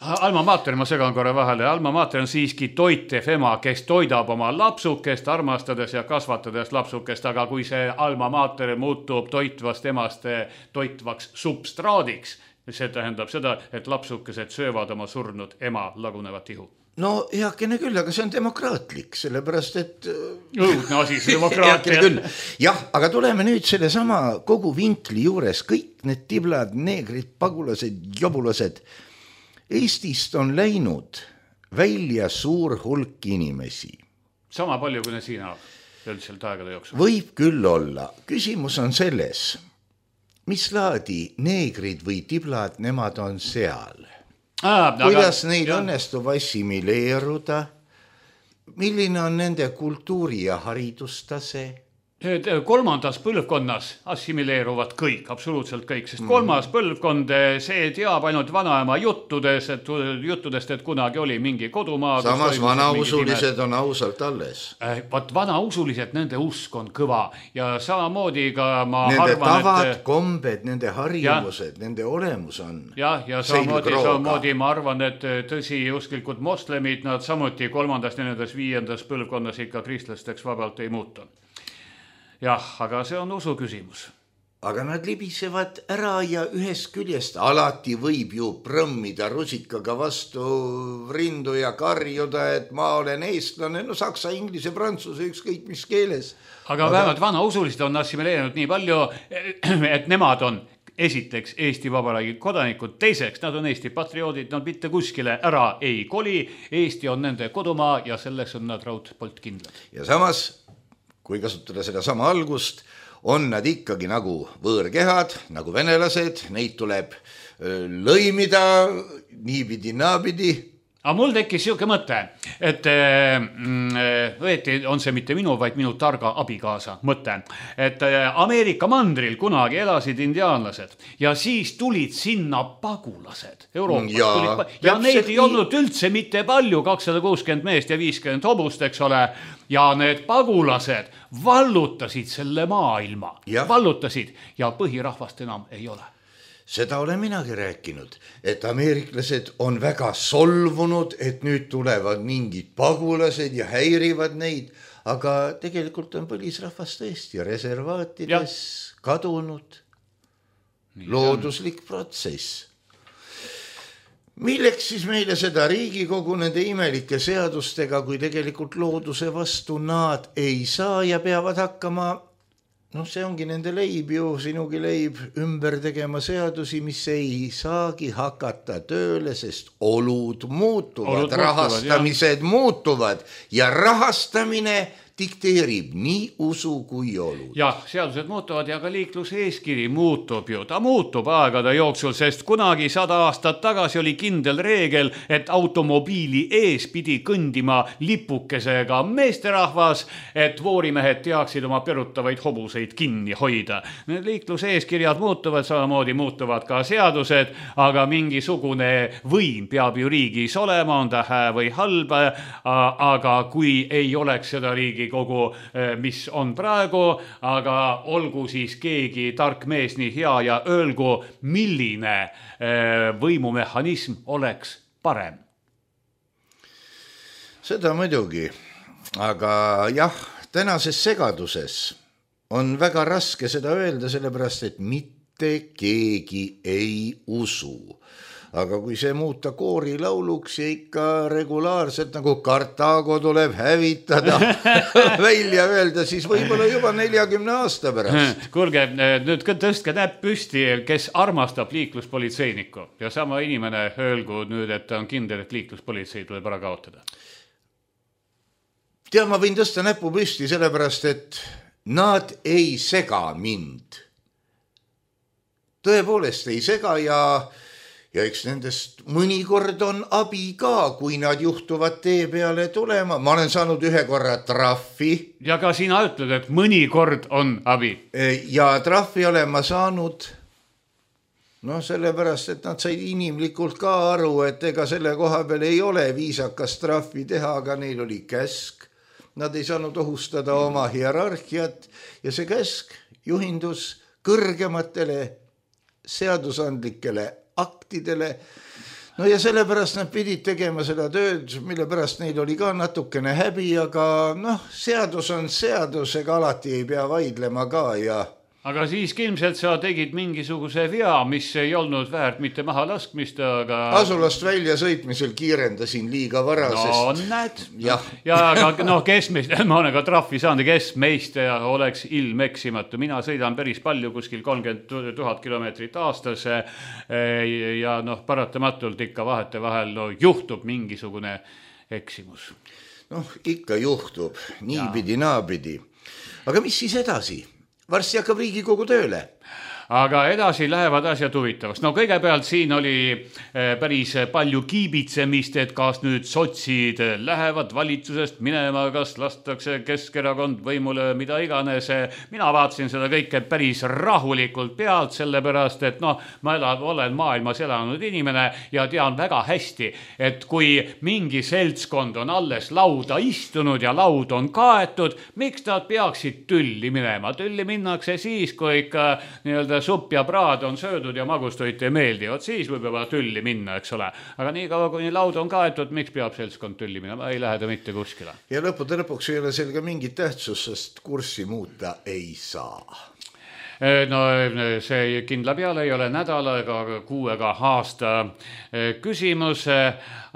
Alma mater, ma segan korra vahele. Alma mater on siiski toitev ema, kes toidab oma lapsukest, armastades ja kasvatades lapsukest, aga kui see alma mater muutub toitvast emast toitvaks substraadiks, see tähendab seda, et lapsukesed söövad oma surnud ema lagunevat ihu. No heakene küll, aga see on demokraatlik, sellepärast et... Õudne asi, see demokraatia. Jah, aga tuleme nüüd selle sama kogu vinkli juures, kõik need tiblad, neegrid, pagulased, jobulased. Eestist on läinud välja suur hulk inimesi. Sama palju, kui need siin üldiselt aegade jooksul. Võib küll olla. Küsimus on selles, mis laadi neegrid või tiblad nemad on seal. Kuidas neil õnnestub assimileeruda? Milline on nende kultuuri- ja haridustase? Kolmandas põlvkonnas assimileeruvad kõik, absoluutselt kõik, sest kolmas põlvkond, see teab ainult vanaema juttudest, et kunagi oli mingi kodumaa. Samas vanausulised on ausalt alles. Vaat vanausulised, nende usk on kõva ja samamoodi ka ma nende arvan, tavad, kombed, nende harjumused, nende olemus on. Ja samamoodi ma arvan, et tõsi usklikud moslemid, nad samuti 3., 4., 5. põlvkonnas ikka kristlasteks vabalt ei muutu. Jah, aga see on usu küsimus. Aga nad libisevad ära ja ühest küljest alati võib ju prõmmida rusikaga vastu rindu ja karjuda, et ma olen eestlane, no saksa, inglise, prantsuse, ükskõik mis keeles. Aga vähemalt vanausulised on assimileerinud nii palju, et nemad on esiteks Eesti Vabariigi kodanikud, teiseks nad on Eesti patrioodid, nad mitte kuskile ära ei koli, Eesti on nende kodumaa ja selleks on nad raudpolt kindlad. Ja samas, kui kasutada seda sama algust, on nad ikkagi nagu võõrkehad, nagu venelased, neid tuleb lõimida niipidi, naapidi. Aga mul tekkis siuke mõte, et õieti on see mitte minu, vaid minu targa abikaasa mõte, et Ameerika mandril kunagi elasid indiaanlased ja siis tulid sinna pagulased Euroopast. Ja neid ei olnud üldse mitte palju, 260 meest ja 50 hobust, eks ole, ja need pagulased vallutasid selle maailma, vallutasid ja põhirahvast enam ei ole. Seda olen minagi rääkinud, et ameeriklased on väga solvunud, et nüüd tulevad mingid pagulased ja häirivad neid, aga tegelikult on põlisrahvas tõesti reservaatides kadunud. Looduslik protsess. Milleks siis meile seda Riigikogu nende imelike seadustega, kui tegelikult looduse vastu nad ei saa ja peavad hakkama, see ongi nende leib ju, sinugi leib, ümber tegema seadusi, mis ei saagi hakata tööle, sest olud muutuvad, rahastamised muutuvad ja rahastamine dikteerib nii usu kui olud. Jah, seadused muutuvad ja ka liikluseeskiri muutub ju. Ta muutub aegade jooksul, sest kunagi 100 aastat tagasi oli kindel reegel, et automobiili ees pidi kõndima lipukesega meesterahvas, et voorimehed teaksid oma perutavaid hobuseid kinni hoida. Need liikluseeskirjad muutuvad, samamoodi muutuvad ka seadused, aga mingisugune võim peab ju riigis olema, on ta hää või halb, aga kui ei oleks seda riigi kogu, mis on praegu, aga olgu siis keegi tark mees nii hea ja öelgu, milline võimumehhanism oleks parem. Seda muidugi, aga jah, tänases segaduses on väga raske seda öelda, sellepärast, et mitte keegi ei usu. Aga kui see muuta koorilauluks ja ikka regulaarselt nagu Kartaago tuleb hävitada välja öelda, siis võib-olla juba 40 aasta pärast. Kuulge, nüüd tõstke näpp püsti, kes armastab liikluspolitseinikku ja sama inimene öelgu nüüd, et ta on kindel, et liikluspolitsei tuleb ära kaotada. Tea, ma võin tõsta näpu püsti sellepärast, et nad ei sega mind. Tõepoolest ei sega ja eks nendest mõnikord on abi ka, kui nad juhtuvad tee peale tulema. Ma olen saanud ühe korra trahvi. Ja ka sina ütled, et mõnikord on abi. Ja trahvi olen ma saanud, sellepärast, et nad said inimlikult ka aru, et ega selle koha peal ei ole viisakas trahvi teha, aga neil oli käsk. Nad ei saanud ohustada oma hierarhiat ja see käsk juhindus kõrgematele seadusandlikele aktidele. Ja sellepärast nad pidid tegema seda tööd, mille pärast neil oli ka natukene häbi, aga seadus on seadus, ega alati ei pea vaidlema ka ja aga siiski ilmselt sa tegid mingisuguse vea, mis ei olnud väärt mitte maha laskmist, aga... Asulast välja sõitmisel kiirendasin liiga vara, sest... näed. Ja aga kes meist, ma olen ka trahvi saanud, kes meist oleks ilmeksimatu. Mina sõidan päris palju, kuskil 30 000 kilomeetrit aastas ja paratamatult ikka vahetevahel juhtub mingisugune eksimus. Ikka juhtub, niipidi, naapidi. Aga mis siis edasi? Varsti hakkab Riigikogu tööle. Aga edasi lähevad asjad huvitavaks. Kõigepealt siin oli päris palju kiibitsemist, et kas nüüd sotsid lähevad valitsusest minema, kas lastakse Keskerakond võimule, mida iganes. Mina vaatasin seda kõike päris rahulikult pealt, sellepärast, et ma olen maailmas elanud inimene ja tean väga hästi, et kui mingi seltskond on alles lauda istunud ja laud on kaetud, miks nad peaksid tülli minema? Tülli minnakse siis, kui ikka supp ja praad on söödud ja magustoit ei meeldi. Siis võib juba tülli minna, eks ole. Aga nii kaua, kui laud on kaetud, miks peab seltskond tülli minema? Ei lähe ta mitte kuskile. Ja lõpuks ei ole sellega mingit tähtsus, sest kurssi muuta ei saa. See kindla peale ei ole nädala ega kuu ega aasta küsimus,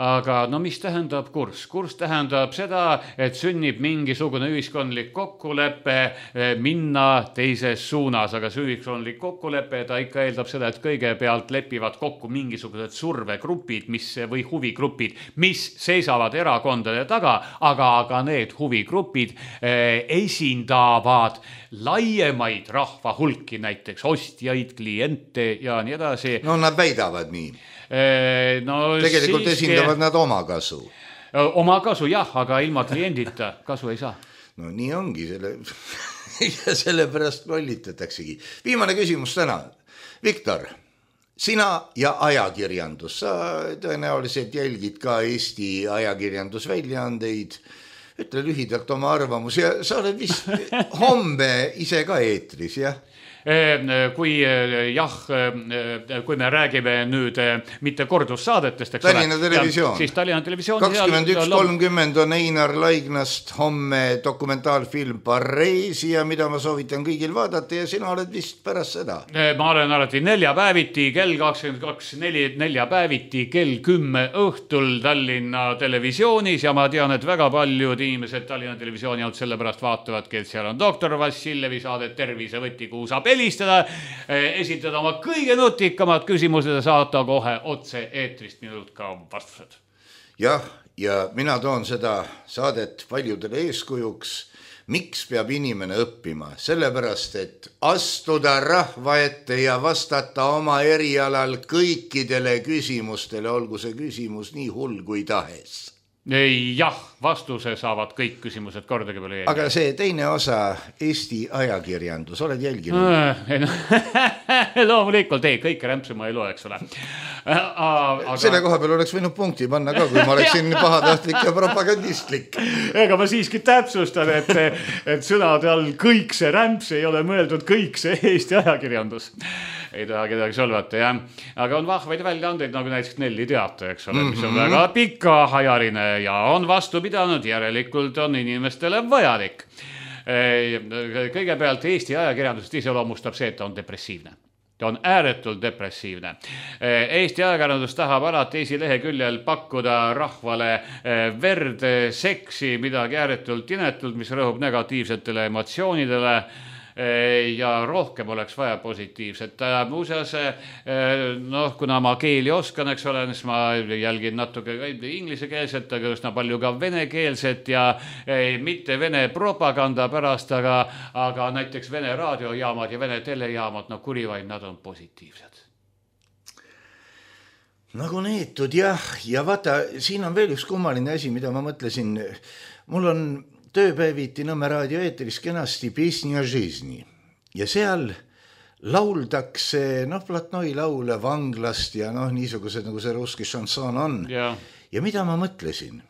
aga mis tähendab kurss? Kurss tähendab seda, et sünnib mingisugune ühiskondlik kokkulepe minna teises suunas, aga see ühiskondlik kokkulepe, ta ikka eeldab seda, et kõigepealt lepivad kokku mingisugused survegrupid või huvigrupid, mis seisavad erakondade taga, aga need huvigrupid esindavad laiemaid rahva hulki, näiteks ostjaid, kliente ja nii edasi. Nad väidavad nii. Tegelikult esindavad nad oma kasu. Oma kasu jah, aga ilma kliendita kasu ei saa. Nii ongi, sellepärast lollitataksegi. Viimane küsimus täna. Viktor, sina ja ajakirjandus, sa tõenäoliselt jälgid ka Eesti ajakirjandusväljaandeid. Ütle lühidalt oma arvamus ja sa oled vist homme ise ka eetris, jah? Kui me räägime nüüd mitte kordussaadetest, eks Tallinna televisioon. Siis Tallinna televisioon 21.30 on Einar Laignast homme dokumentaalfilm Pareisi ja mida ma soovitan kõigil vaadata ja sina oled vist pärast seda. Ma olen alati neljapäeviti kell 22, neljapäeviti kell 10 õhtul Tallinna televisioonis ja ma tean, et väga paljud inimesed Tallinna televisiooni alt sellepärast vaatavadki, et seal on doktor Vassiljevi saadet Tervisevõti, kuhu saab helistada, esitada oma kõige nutikamad küsimused ja saata kohe otse eetrist minult ka vastused. Jah, ja mina toon seda saadet paljudele eeskujuks. Miks peab inimene õppima? Sellepärast, et astuda rahva ette ja vastata oma erialal kõikidele küsimustele, olgu see küsimus nii hull kui tahes. Jah, vastuse saavad kõik küsimused kordagi peale jälgida. Aga see teine osa, Eesti ajakirjandus, oled jälginud? Loomulikult, kõike rämpsu ma ei loe, eks ole. Selle koha peal oleks võinud punkti panna ka, kui ma oleksin pahatahtlik ja propagandistlik. Ega ma siiski täpsustan, et sõnade all kõik see rämps ei ole mõeldud kõik see Eesti ajakirjandus. Ei taha kedagi solvata, jah. Aga on vahvaid väljaandeid, nagu näiteks Nelli Teate, eks ole, mis on väga pikaajaline ja on vastu pidanud, järelikult on inimestele vajalik. Kõigepealt Eesti ajakirjandust iseloomustab see, et ta on depressiivne. Ta on ääretult depressiivne. Eesti ajakirjandus tahab alati esileheküljel pakkuda rahvale verd, seksi, midagi ääretult inetult, mis rõhub negatiivsetele emotsioonidele ja rohkem oleks vaja positiivset. Muuseas, kuna ma keeli oskan, eks ole, siis ma jälgin natuke inglisekeelset, aga üsna palju ka venekeelset ja mitte vene propaganda pärast, aga näiteks vene raadiojaamad ja vene telejaamad, kurivaid, nad on positiivsed. Nagu neetud, jah. Ja vaata, siin on veel üks kummaline asi, mida ma mõtlesin. Mul on tööpäeviti Nõmme raadio eetris kenasti Pisnja Žizni. Ja seal lauldakse, Platnoi laule vanglast ja niisugused, nagu see ruski šanson on. Ja mida ma mõtlesin?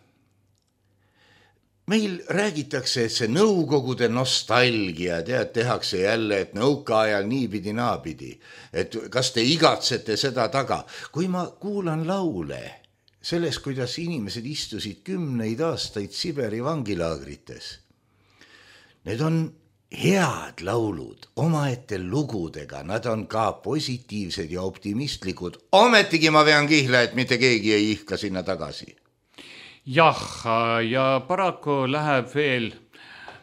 Meil räägitakse, et see nõukogude nostalgia, tehakse jälle, et nõukaajal niipidi naapidi. Et kas te igatsete seda taga? Kui ma kuulan laule sellest, kuidas inimesed istusid 10 aastaid Siberi vangilaagrites. Need on head laulud omaette lugudega, nad on ka positiivsed ja optimistlikud. Ometigi ma vean kihla, et mitte keegi ei ihka sinna tagasi. Jah, ja paraku läheb veel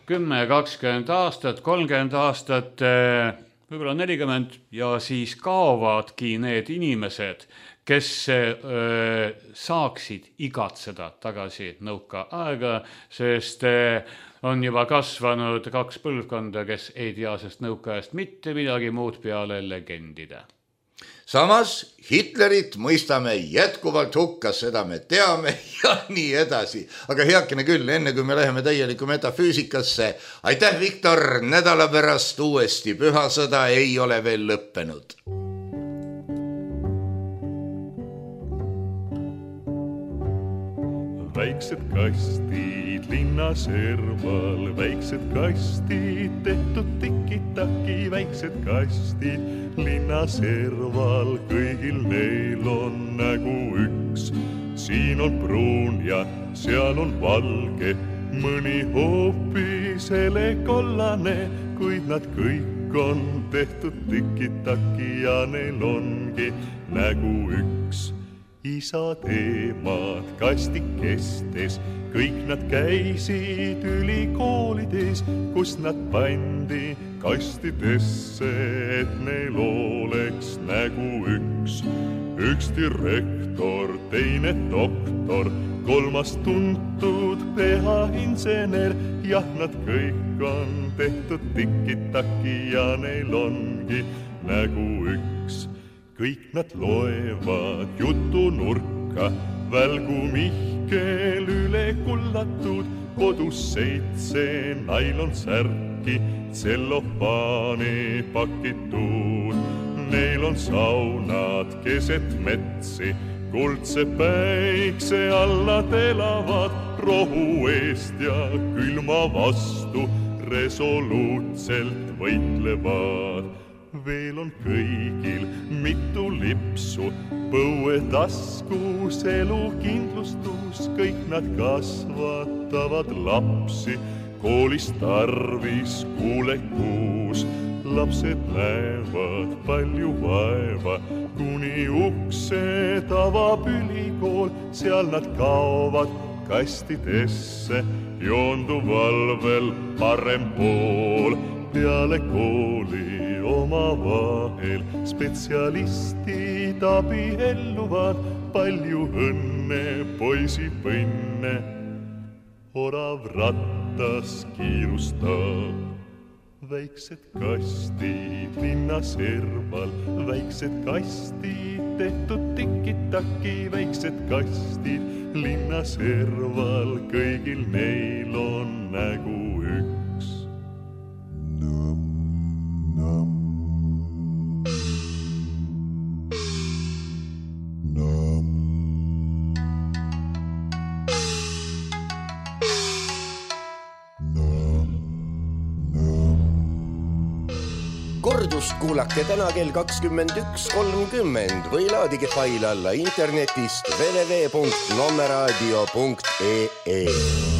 10, 20 aastat, 30 aastat, võib-olla 40 ja siis kaovadki need inimesed, kes saaksid igatseda tagasi nõuka aega, sest on juba kasvanud 2 põlvkonda, kes ei tea sest nõukaajast mitte midagi muud peale legendide. Samas Hitlerit mõistame jätkuvalt hukka, seda me teame ja nii edasi. Aga heakene küll, enne kui me läheme täieliku metafüüsikasse, aitäh, Viktor, nädala pärast uuesti. Pühasõda ei ole veel lõppenud. Väiksed kastid linna serval, väiksed kastid tehtud tiki-taki, väiksed kastid linna serval, kõigil neil on nägu üks. Siin on pruun ja seal on valge, mõni hoopis helekollane, kuid nad kõik on tehtud tiki-taki ja neil ongi nägu üks. Isad, emad kastikestes, kõik nad käisid ülikoolides, kus nad pandi kastidesse, et neil oleks nägu üks. Üks direktor, teine doktor, 3. tuntud PH-insener, jah, nad kõik on tehtud tiki-taki ja neil ongi nägu üks. Kõik nad loevad jutunurka, välgu Mihkel üle kullatud, kodus 7 nailonsärki, tsellofaani pakitud. Neil on saunad keset metsi, kuldse päikse alla elavad, rohu eest ja külma vastu resoluutselt võitlevad. Veel on kõigil mitu lipsu, põuetaskus, elukindlustus, kõik nad kasvatavad lapsi, koolis tarvis kuulekuus. Lapsed näevad palju vaeva, kuni uksed avab ülikool, seal nad kaovad kastidesse, joonduvalvel parem pool. Peale kooli oma vahel spetsialistid abielluvad, palju õnne, poisipõnne, orav rattas kiirustab. Väiksed kastid linna serval, väiksed kastid tehtud tiki-taki, väiksed kastid linna serval, kõigil neil on nägu üks. Kordust kuulake täna kell 21.30 või laadige fail alla internetist www.nommeradio.ee.